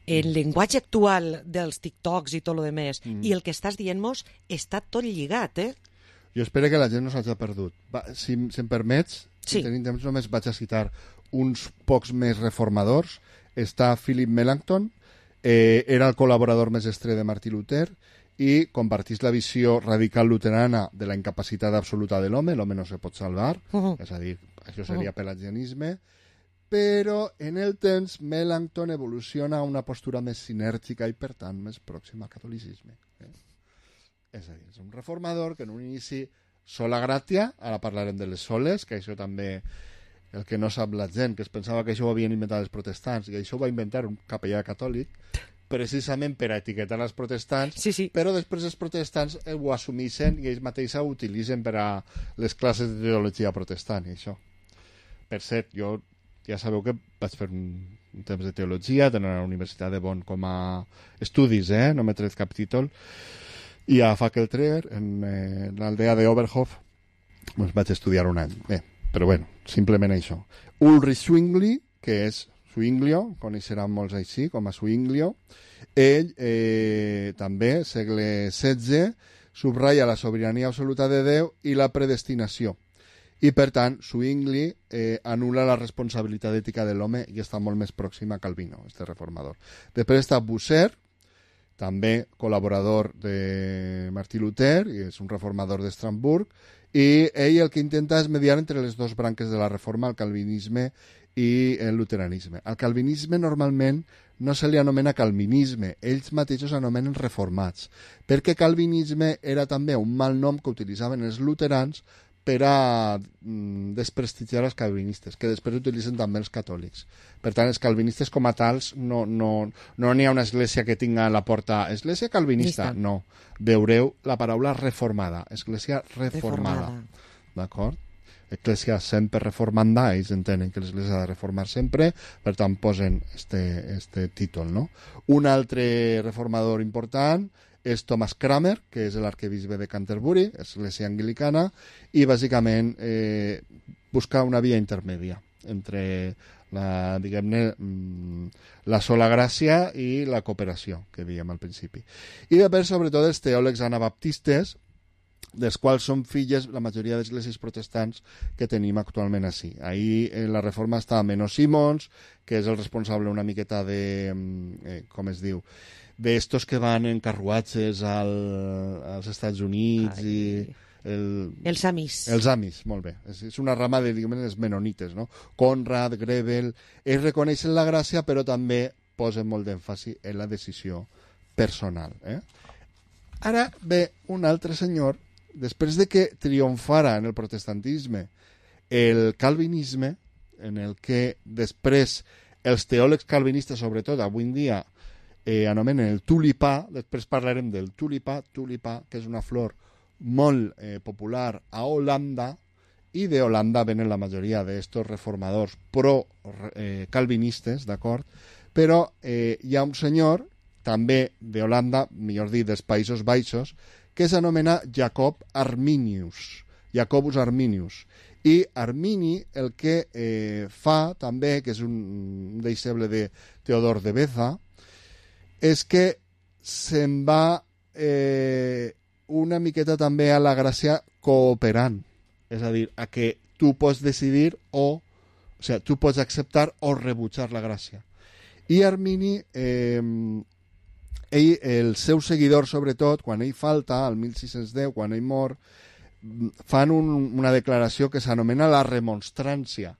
[SPEAKER 4] el llenguatge actual dels TikToks i tot el demés, i el que estàs dient-nos està tot lligat,
[SPEAKER 8] Jo espero que la gent no s'hagi perdut. Si em permets, si tenim temps, només vaig a citar uns pocs més reformadors. Està Philip Melanchthon, era el col·laborador més estrè de Martí Luter i compartís la visió radical luterana de la incapacitat absoluta de l'home no se pot salvar, és a dir, això seria pelagianisme, però en el temps Melanchthon evoluciona a una postura més sinèrgica i per tant més pròxima al catolicisme. És a dir, és un reformador que en un inici sola gràtia, ara parlarem de les soles, que això també el que no sap la gent, que es pensava que això ho havien inventat els protestants, i això ho va inventar un capellà catòlic precisament per a etiquetar els protestants, però després els protestants ho assumeixen i ells mateixos ho utilitzen per a les classes de teologia protestant i això. Per cert, jo ja sabeu que vaig fer un temps de teologia, tenir a la Universitat de Bonn com a estudis, no m'he tret cap títol, i a Fackelträger, en l'aldea d'Oberhof, doncs vaig estudiar un any. Bé, però bueno, simplement això. Ulrich Zwingli, que és Zwinglio, coneixeran molts així, com a Zwinglio, ell també, segle XVI, subratlla la sobirania absoluta de Déu i la predestinació. I, per tant, Zwingli anul·la la responsabilitat ètica de l'home i està molt més pròxim a Calvino, este reformador. Després està Bucer, també col·laborador de Martí Luter, i és un reformador d'Estrasburg, i ell el que intenta és mediar entre les dues branques de la reforma, el calvinisme i el luteranisme. Al calvinisme normalment no se li anomena calvinisme, ells mateixos anomenen reformats, perquè calvinisme era també un mal nom que utilitzaven els luterans per a desprestigiar els calvinistes, que després utilitzen també els catòlics. Per tant, els calvinistes com a tals no n'hi ha una església que tinga a la porta església calvinista, no. Veureu la paraula reformada, església reformada. D'acord? Església sempre reformanda, ells entenen que l'església ha de reformar sempre, per tant posen este títol, no? Un altre reformador important és Thomas Cranmer, que és l'arquebisbe de Canterbury, església anglicana, i bàsicament busca una via intermèdia entre la sola gràcia i la cooperació, que dèiem al principi. I després, sobretot, els teòlegs anabaptistes, dels quals són filles la majoria d'esglésies protestants que tenim actualment així. Ahir la reforma està Menno Simons, que és el responsable una miqueta de, com es diu, d'estos que van en carruatges als Estats Units i...
[SPEAKER 4] Els Amis.
[SPEAKER 8] Els Amis, molt bé. És una rama de, diguem, els menonites, no? Conrad, Grebel... Ells reconeixen la gràcia, però també posen molt d'èmfasi en la decisió personal. Ara ve un altre senyor, després de que triomfara en el protestantisme el calvinisme, en el que després els teòlegs calvinistes, sobretot avui en dia, anomenen el tulipà. Després parlarem del tulipà, que és una flor molt popular a Holanda, i de Holanda venen la majoria d'estos reformadors pro-calvinistes, d'acord? Però hi ha un senyor, també de Holanda, millor dit, dels Països Baixos, que s'anomena Jacob Arminius. Jacobus Arminius. I Armini el que fa també, que és un deixeble de Teodor de Beza, és que se'n va una miqueta també a la gràcia cooperant. És a dir, a que tu pots decidir o sigui, tu pots acceptar o rebutjar la gràcia. I Armini, el seu seguidor, sobretot, quan ell falta, al 1610, quan ell mor, fan una declaració que s'anomena la remonstrància.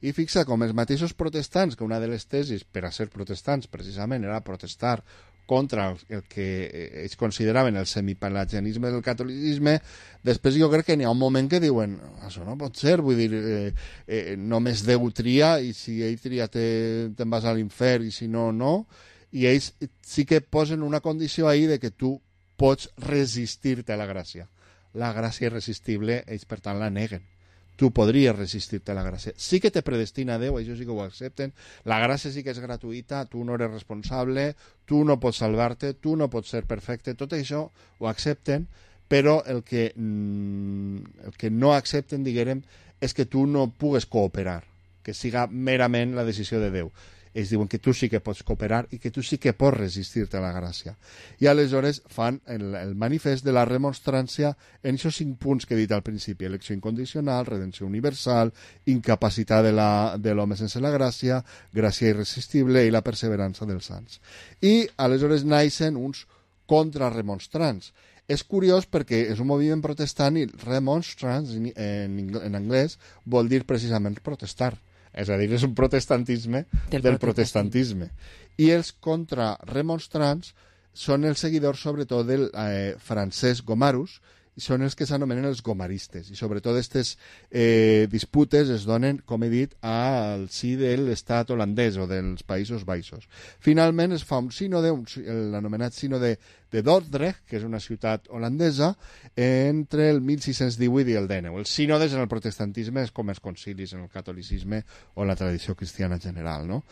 [SPEAKER 8] I fixa com els mateixos protestants, que una de les tesis per a ser protestants precisament era protestar contra el que ells consideraven el semipelagianisme del catolicisme, després jo crec que n'hi ha un moment que diuen això no pot ser, vull dir, només Déu tria, i si ell tria te'n vas a l'infern, i si no, no. I ells sí que posen una condició ahí de que tu pots resistir-te a la gràcia. La gràcia irresistible, ells per tant la neguen. Tu podries resistir-te a la gràcia. Sí que te predestina Déu, això sí que ho accepten. La gràcia sí que és gratuïta, tu no eres responsable, tu no pots salvar-te, tu no pots ser perfecte. Tot això ho accepten, però el que no accepten, diguem, és que tu no pugues cooperar, que siga merament la decisió de Déu. Ells diuen que tu sí que pots cooperar i que tu sí que pots resistir-te a la gràcia. I aleshores fan el manifest de la remonstrància en aquests 5 punts que he dit al principi: elecció incondicional, redenció universal, incapacitat de l'home sense la gràcia, gràcia irresistible i la perseverança dels sants. I aleshores naixen uns contrarremonstrants. És curiós perquè és un moviment protestant i remonstrants en anglès vol dir precisament protestar. És a dir, és un protestantisme del protestantisme. I els contrarremonstrants són els seguidors, sobretot, del Francesc Gomarus, i són els que s'anomenen els gomaristes. I sobretot aquestes disputes es donen, com he dit, al si de l'estat holandès o dels Països Baixos. Finalment es fa un sínode, l'anomenat sínode de Dordrecht, que és una ciutat holandesa, entre el 1618 i el 19. Els sínodes en el protestantisme és com els concilis en el catolicisme o la tradició cristiana general, no?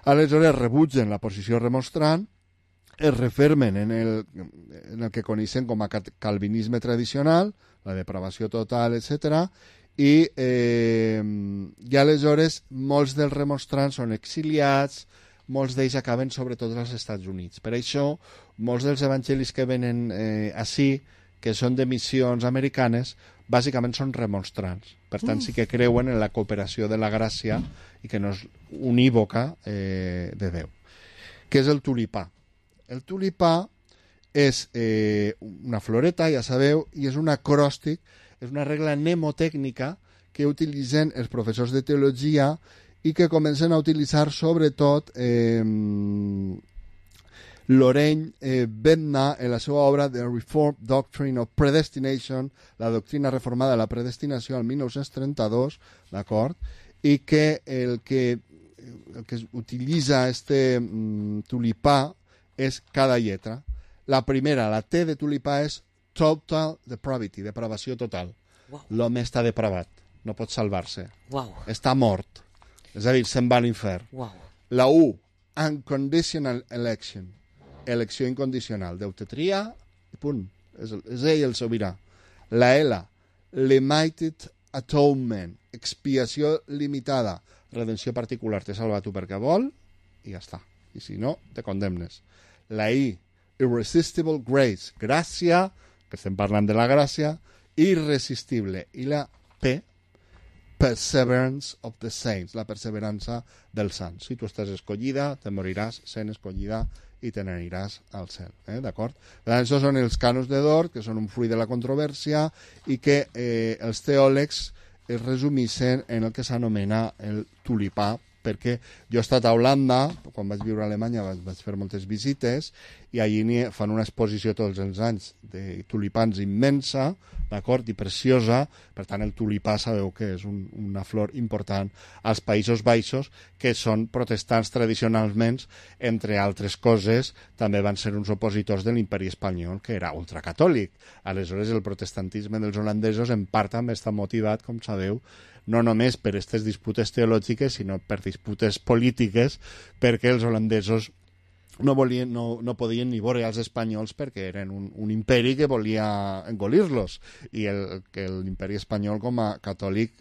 [SPEAKER 8] Aleshores rebutgen la posició remonstrant, es refermen en el que coneixen com a calvinisme tradicional, la depravació total, etc. I aleshores molts dels remonstrants són exiliats, molts d'ells acaben sobretot als Estats Units. Per això, molts dels evangelis que venen ací, que són de missions americanes, bàsicament són remonstrants. Per tant, sí que creuen en la cooperació de la gràcia i que no és unívoca de Déu. Què és el tulipà? El tulipà és una floreta, ja sabeu, i és un acròstic, és una regla mnemotècnica que utilitzen els professors de teologia i que comencen a utilitzar sobretot Lorraine Bednar, en la seva obra The Reformed Doctrine of Predestination, la doctrina reformada de la predestinació, al 1932, d'acord? I que el que utilitza este tulipà és cada lletra. La primera, la T de tulipà, és total depravity, depravació total.
[SPEAKER 4] Wow.
[SPEAKER 8] L'home està depravat, no pot salvar-se.
[SPEAKER 4] Wow.
[SPEAKER 8] Està mort, és a dir, se'n va a l'infern.
[SPEAKER 4] Wow.
[SPEAKER 8] La U, unconditional election, elecció incondicional. Déu te tria i punt. És ell el sobirà. La L, limited atonement, expiació limitada, redenció particular. T'he salvat tu perquè vol i ja està. I si no, te condemnes. La I, irresistible grace, gràcia, que estem parlant de la gràcia, irresistible. I la P, perseverance of the saints, la perseverança dels sants. Si tu estàs escollida, te moriràs sent escollida i te n'aniràs al cel. D'acord? Això són els canons de Dort, que són un fruit de la controvèrsia i que els teòlegs es resumissen en el que s'anomena el tulipà, perquè jo he estat a Holanda, quan vaig viure a Alemanya vaig fer moltes visites, i allí fan una exposició tots els anys de tulipans immensa, d'acord, i preciosa. Per tant, el tulipà sabeu que és una flor important als Països Baixos, que són protestants tradicionalment, entre altres coses, també van ser uns opositors de l'imperi espanyol, que era ultracatòlic. Aleshores, el protestantisme dels holandesos en part també està motivat, com sabeu, no només per aquestes disputes teològiques, sinó per disputes polítiques, perquè els holandesos no podien ni veure als espanyols perquè eren un imperi que volia engolir-los, i l'imperi espanyol com a catòlic,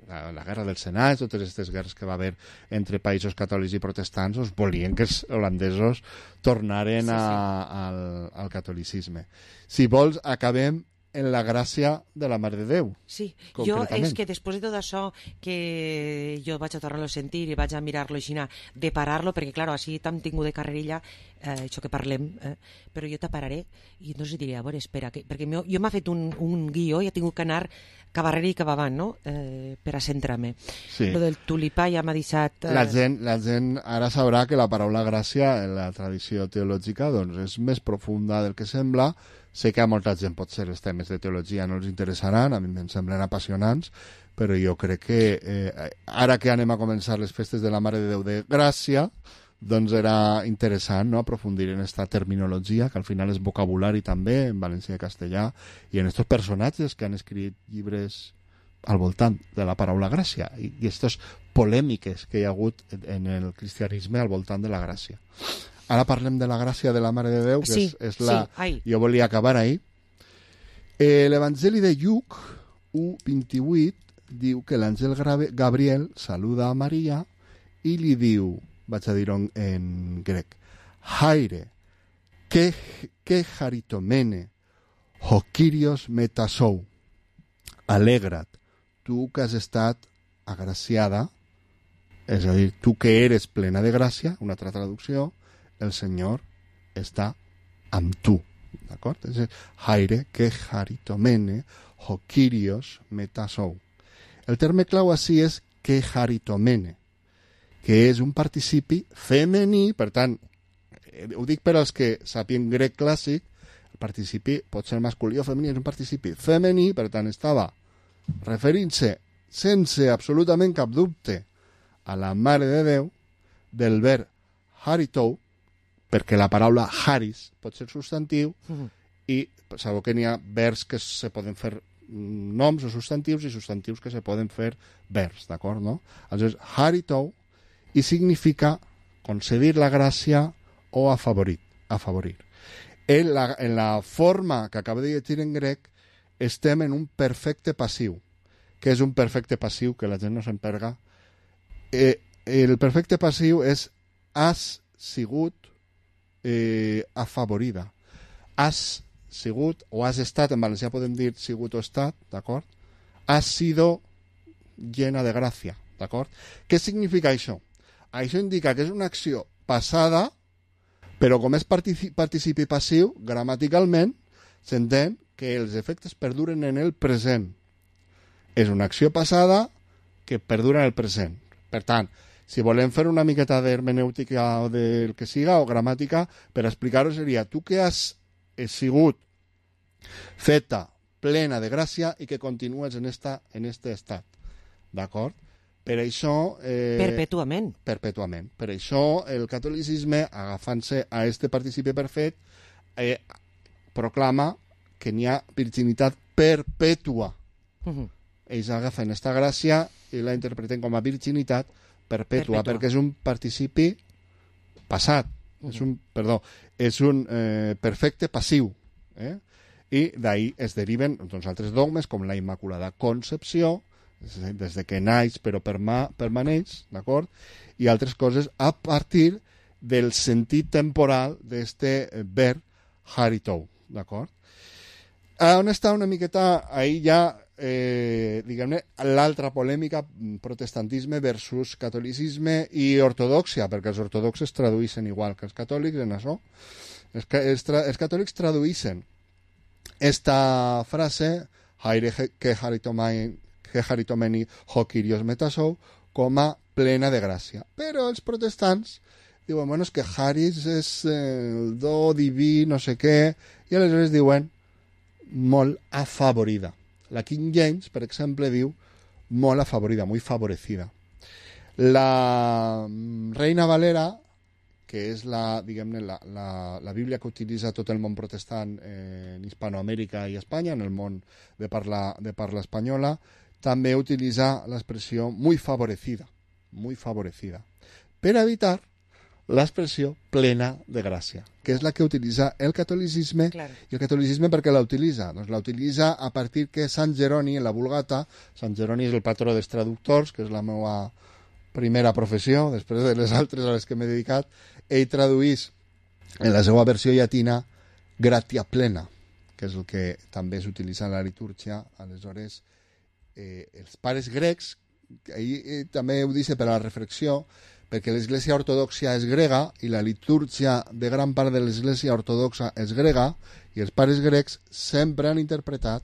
[SPEAKER 8] la guerra dels senats, totes aquestes guerres que va haver entre països catòlics i protestants, volien que els holandesos tornaren al catolicisme. Si vols, acabem en la gràcia de la Mare de Déu.
[SPEAKER 4] Sí, jo és que després de tot això que jo vaig a tornar-lo a sentir i vaig a mirar-lo així, de parar-lo, perquè clar, així t'hem tingut de carrerilla això que parlem, però jo t'apararé i no us diré, a veure, espera, perquè jo m'ha fet un guió i he tingut que anar cap arrere i cap avant, no? Per a centrar-me. Sí. Lo del tulipà ja m'ha deixat...
[SPEAKER 8] La gent ara sabrà que la paraula gràcia en la tradició teològica doncs, és més profunda del que sembla. Sé que a molta gent potser els temes de teologia no els interessaran, a mi em semblen apassionants, però jo crec que ara que anem a començar les festes de la Mare de Déu de Gràcia, doncs era interessant, no?, aprofundir en aquesta terminologia, que al final és vocabulari també, en valencià i castellà, i en aquests personatges que han escrit llibres al voltant de la paraula gràcia, i aquestes polèmiques que hi ha hagut en el cristianisme al voltant de la gràcia. Ara parlem de la gràcia de la Mare de Déu, que és la... Jo volia acabar ahí. L'Evangeli de Lluc 1:28 diu que l'àngel Gabriel saluda a Maria i li diu, vaig a dir-ho en grec, Haire, que haritomene, ho Kyrios metasou, alegra't, tu que has estat agraciada, és a dir, tu que eres plena de gràcia, una altra traducció, el Senyor està amb tu, d'acord? És Haire, que haritomene, ho Kyrios metasou. El terme clau així és que haritomene, que és un participi femení, per tant, ho dic per als que sàpien grec clàssic, el participi pot ser masculí o femení, és un participi femení, per tant, estava referint-se sense absolutament cap dubte a la Mare de Déu, del verb haritou, perquè la paraula haris pot ser substantiu, i sabeu que n'hi ha verbs que se poden fer noms o substantius i substantius que se poden fer verbs, d'acord, no? Aleshores, haritou, i significa concedir la gràcia o afavorir. En la forma que acabo de llegir en grec, estem en un perfecte passiu. Què és un perfecte passiu? Que la gent no s'emperga. El perfecte passiu és has sigut afavorida. Has sigut, o has estat, en valencià podem dir sigut o estat, d'acord? Has sido llena de gràcia, d'acord? Què significa això? Això indica que és una acció passada, però com és participi passiu, gramaticalment, s'entén que els efectes perduren en el present. És una acció passada que perdura en el present. Per tant, Si volem fer una miqueta d'hermenèutica o del que siga, o gramàtica, per explicar-ho seria tu que has sigut feta plena de gràcia i que continues en este estat. D'acord? Per això...
[SPEAKER 4] Perpetuament.
[SPEAKER 8] Perpetuament. Per això el catolicisme, agafant-se a este participi perfet, proclama que n'hi ha virginitat perpètua. Ells agafen esta gràcia i la interpreten com a virginitat perpètua, perquè és un participi passat. És un perfecte passiu. I d'ahí es deriven altres dogmes com la Immaculada Concepció, des de que naix però permaneix, d'acord? I altres coses a partir del sentit temporal d'este verb haritou, d'acord? On està una miqueta, ahí ja, diguem-ne, l'altra polèmica, protestantisme versus catolicisme i ortodoxia, perquè els ortodoxes traduïssin igual que els catòlics en això. Els catòlics traduïssin esta frase, haire que haritomeni ho Kyrios metasou, com a plena de gràcia. Però els protestants diuen, bueno, és que Haris és el do diví, no sé què, i aleshores diuen molt afavorida. La King James, per exemple, diu molt afavorida, muy favorecida. La Reina Valera, que és la Bíblia que utilitza tot el món protestant en Hispanoamèrica i Espanya, en el món de parla espanyola, també utilitza l'expressió muy favorecida, per evitar l'expressió plena de gràcia, que és la que utilitza el catolicisme. Claro. I el catolicisme per què la utilitza? Doncs la utilitza a partir que Sant Jeroni, en la Vulgata, Sant Jeroni és el patró dels traductors, que és la meva primera professió, després de les altres a les que m'he dedicat, ell traduís en la seva versió llatina gratia plena, que és el que també s'utilitza en la litúrgia. Aleshores, els pares grecs, ell també ho dice per a la reflexió, perquè l'església ortodoxa és grega i la litúrgia de gran part de l'església ortodoxa és grega, i els pares grecs sempre han interpretat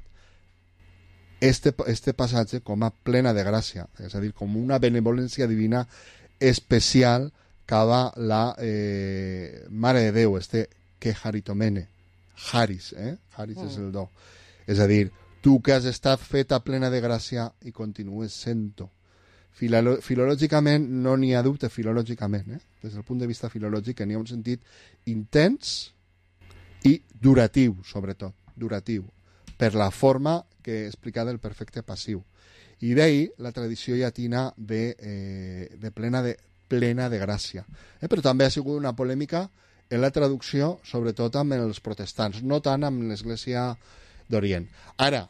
[SPEAKER 8] este passatge com a plena de gràcia, és a dir, com una benevolència divina especial cap a la Mare de Déu, que haritomene, Haris, Haris és el do. És a dir, tu que has estat feta plena de gràcia i continues sent-ho. Filològicament no n'hi ha dubte, filològicament, des del punt de vista filològic, que n'hi ha un sentit intens i duratiu, sobretot, duratiu, per la forma que he explicat del perfecte passiu. I d'ahir la tradició llatina de plena de gràcia. Però també ha sigut una polèmica en la traducció, sobretot amb els protestants, no tant amb l'Església d'Orient. Ara,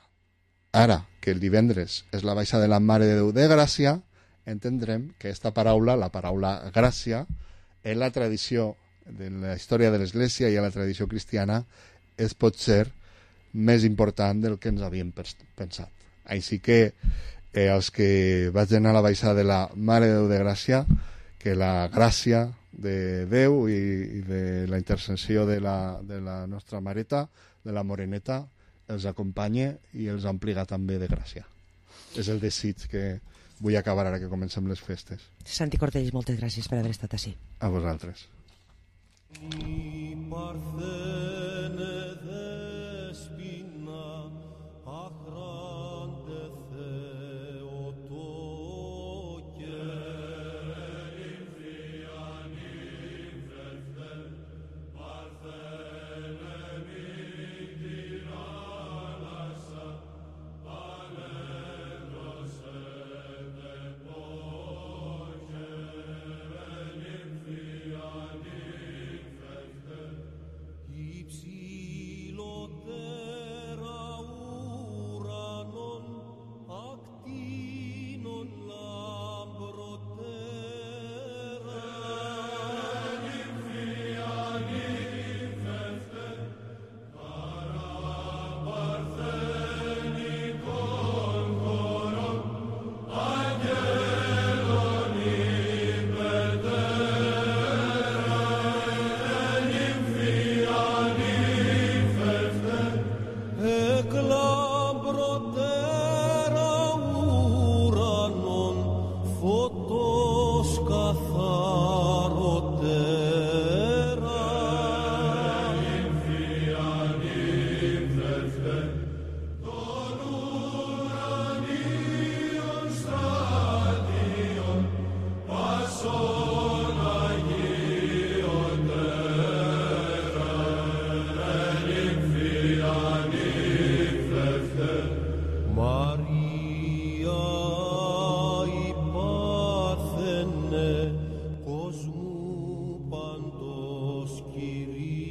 [SPEAKER 8] que el divendres és la baixa de la Mare de Déu de Gràcia, entendrem que aquesta paraula, la paraula gràcia, en la tradició de la història de l'Església i en la tradició cristiana és potser més important del que ens havíem pensat. Així que els que vagin a la baixada de la Mare de Déu de Gràcia, que la gràcia de Déu i de la intercessió de la nostra mareta, de la moreneta, els acompanye i els ompliga també de gràcia. És el desig que vull acabar ara que comencem les festes.
[SPEAKER 4] Santi Cortells, moltes gràcies per haver estat ací.
[SPEAKER 8] A vosaltres.
[SPEAKER 7] κόσμου παντός Κυρία.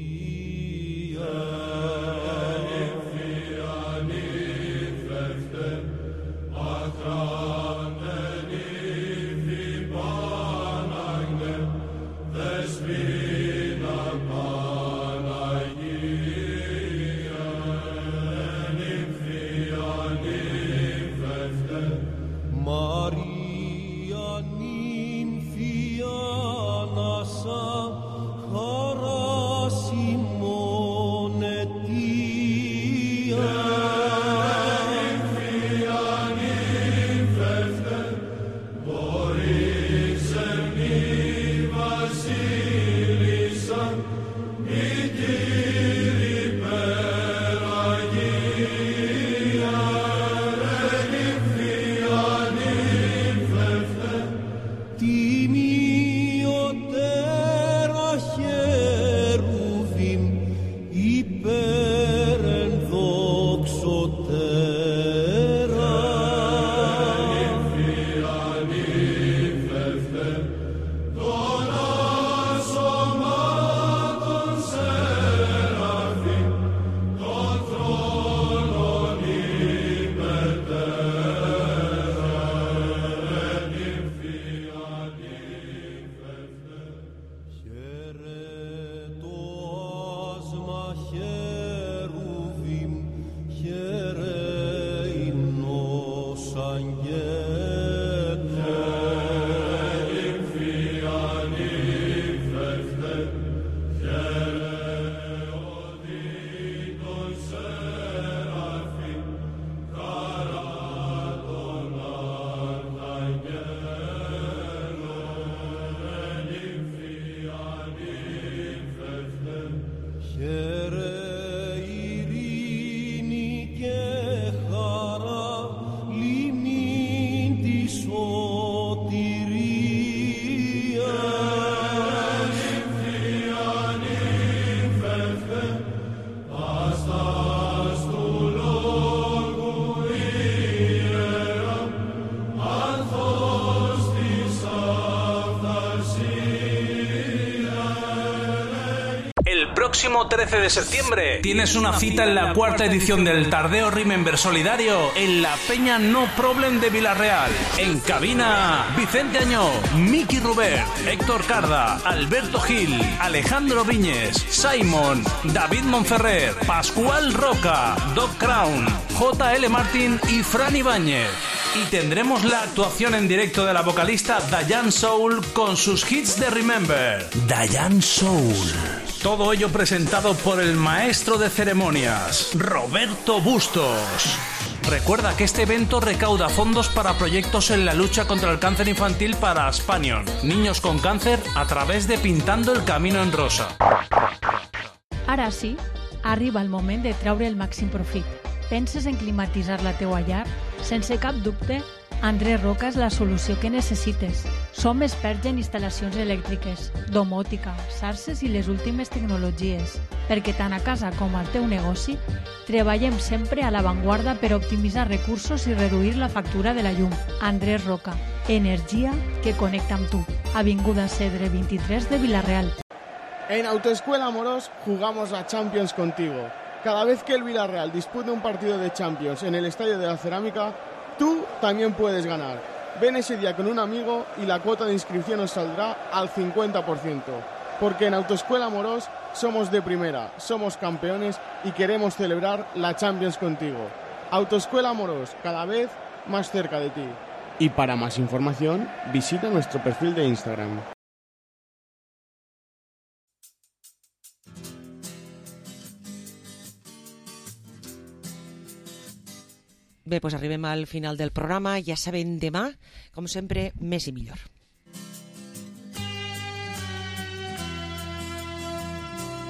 [SPEAKER 9] Próximo 13 de septiembre tienes una cita en la cuarta edición del Tardeo Remember Solidario en la Peña No Problem de Villarreal. En cabina, Vicente Añó, Miki Rubert, Héctor Carda, Alberto Gil, Alejandro Viñes, Simon, David Monferrer, Pascual Roca, Doc Crown, J.L. Martin y Fran Ibáñez. Y tendremos la actuación en directo de la vocalista Diane Soul con sus hits de Remember. Diane Soul. Todo ello presentado por el maestro de ceremonias, Roberto Bustos. Recuerda que este evento recauda fondos para proyectos en la lucha contra el cáncer infantil para Aspanion, niños con cáncer, a través de Pintando el Camino en Rosa.
[SPEAKER 5] Ara sí, arriba el moment de treure el màxim profit. Penses en climatitzar la teua llar? Sense cap dubte, Andrés Roca és la solució que necessites. Som experts en instal·lacions elèctriques, domòtica, xarxes i les últimes tecnologies, perquè tant a casa com al teu negoci treballem sempre a l'avantguarda per optimitzar recursos i reduir la factura de la llum. Andrés Roca, energia que connecta amb tu. Avinguda Cedre 23 de Villarreal.
[SPEAKER 6] En Autoescuela Amorós jugamos la Champions contigo. Cada vez que el Villarreal dispute un partido de Champions en el Estadio de la Cerámica, tú también puedes ganar. Ven ese día con un amigo y la cuota de inscripción os saldrá al 50%. Porque en Autoescuela Amorós somos de primera, somos campeones y queremos celebrar la Champions contigo. Autoescuela Amorós, cada vez más cerca de ti. Y para más información, visita nuestro perfil de Instagram.
[SPEAKER 4] Bé, doncs arribem al final del programa. Ja sabem, demà, com sempre, més i millor.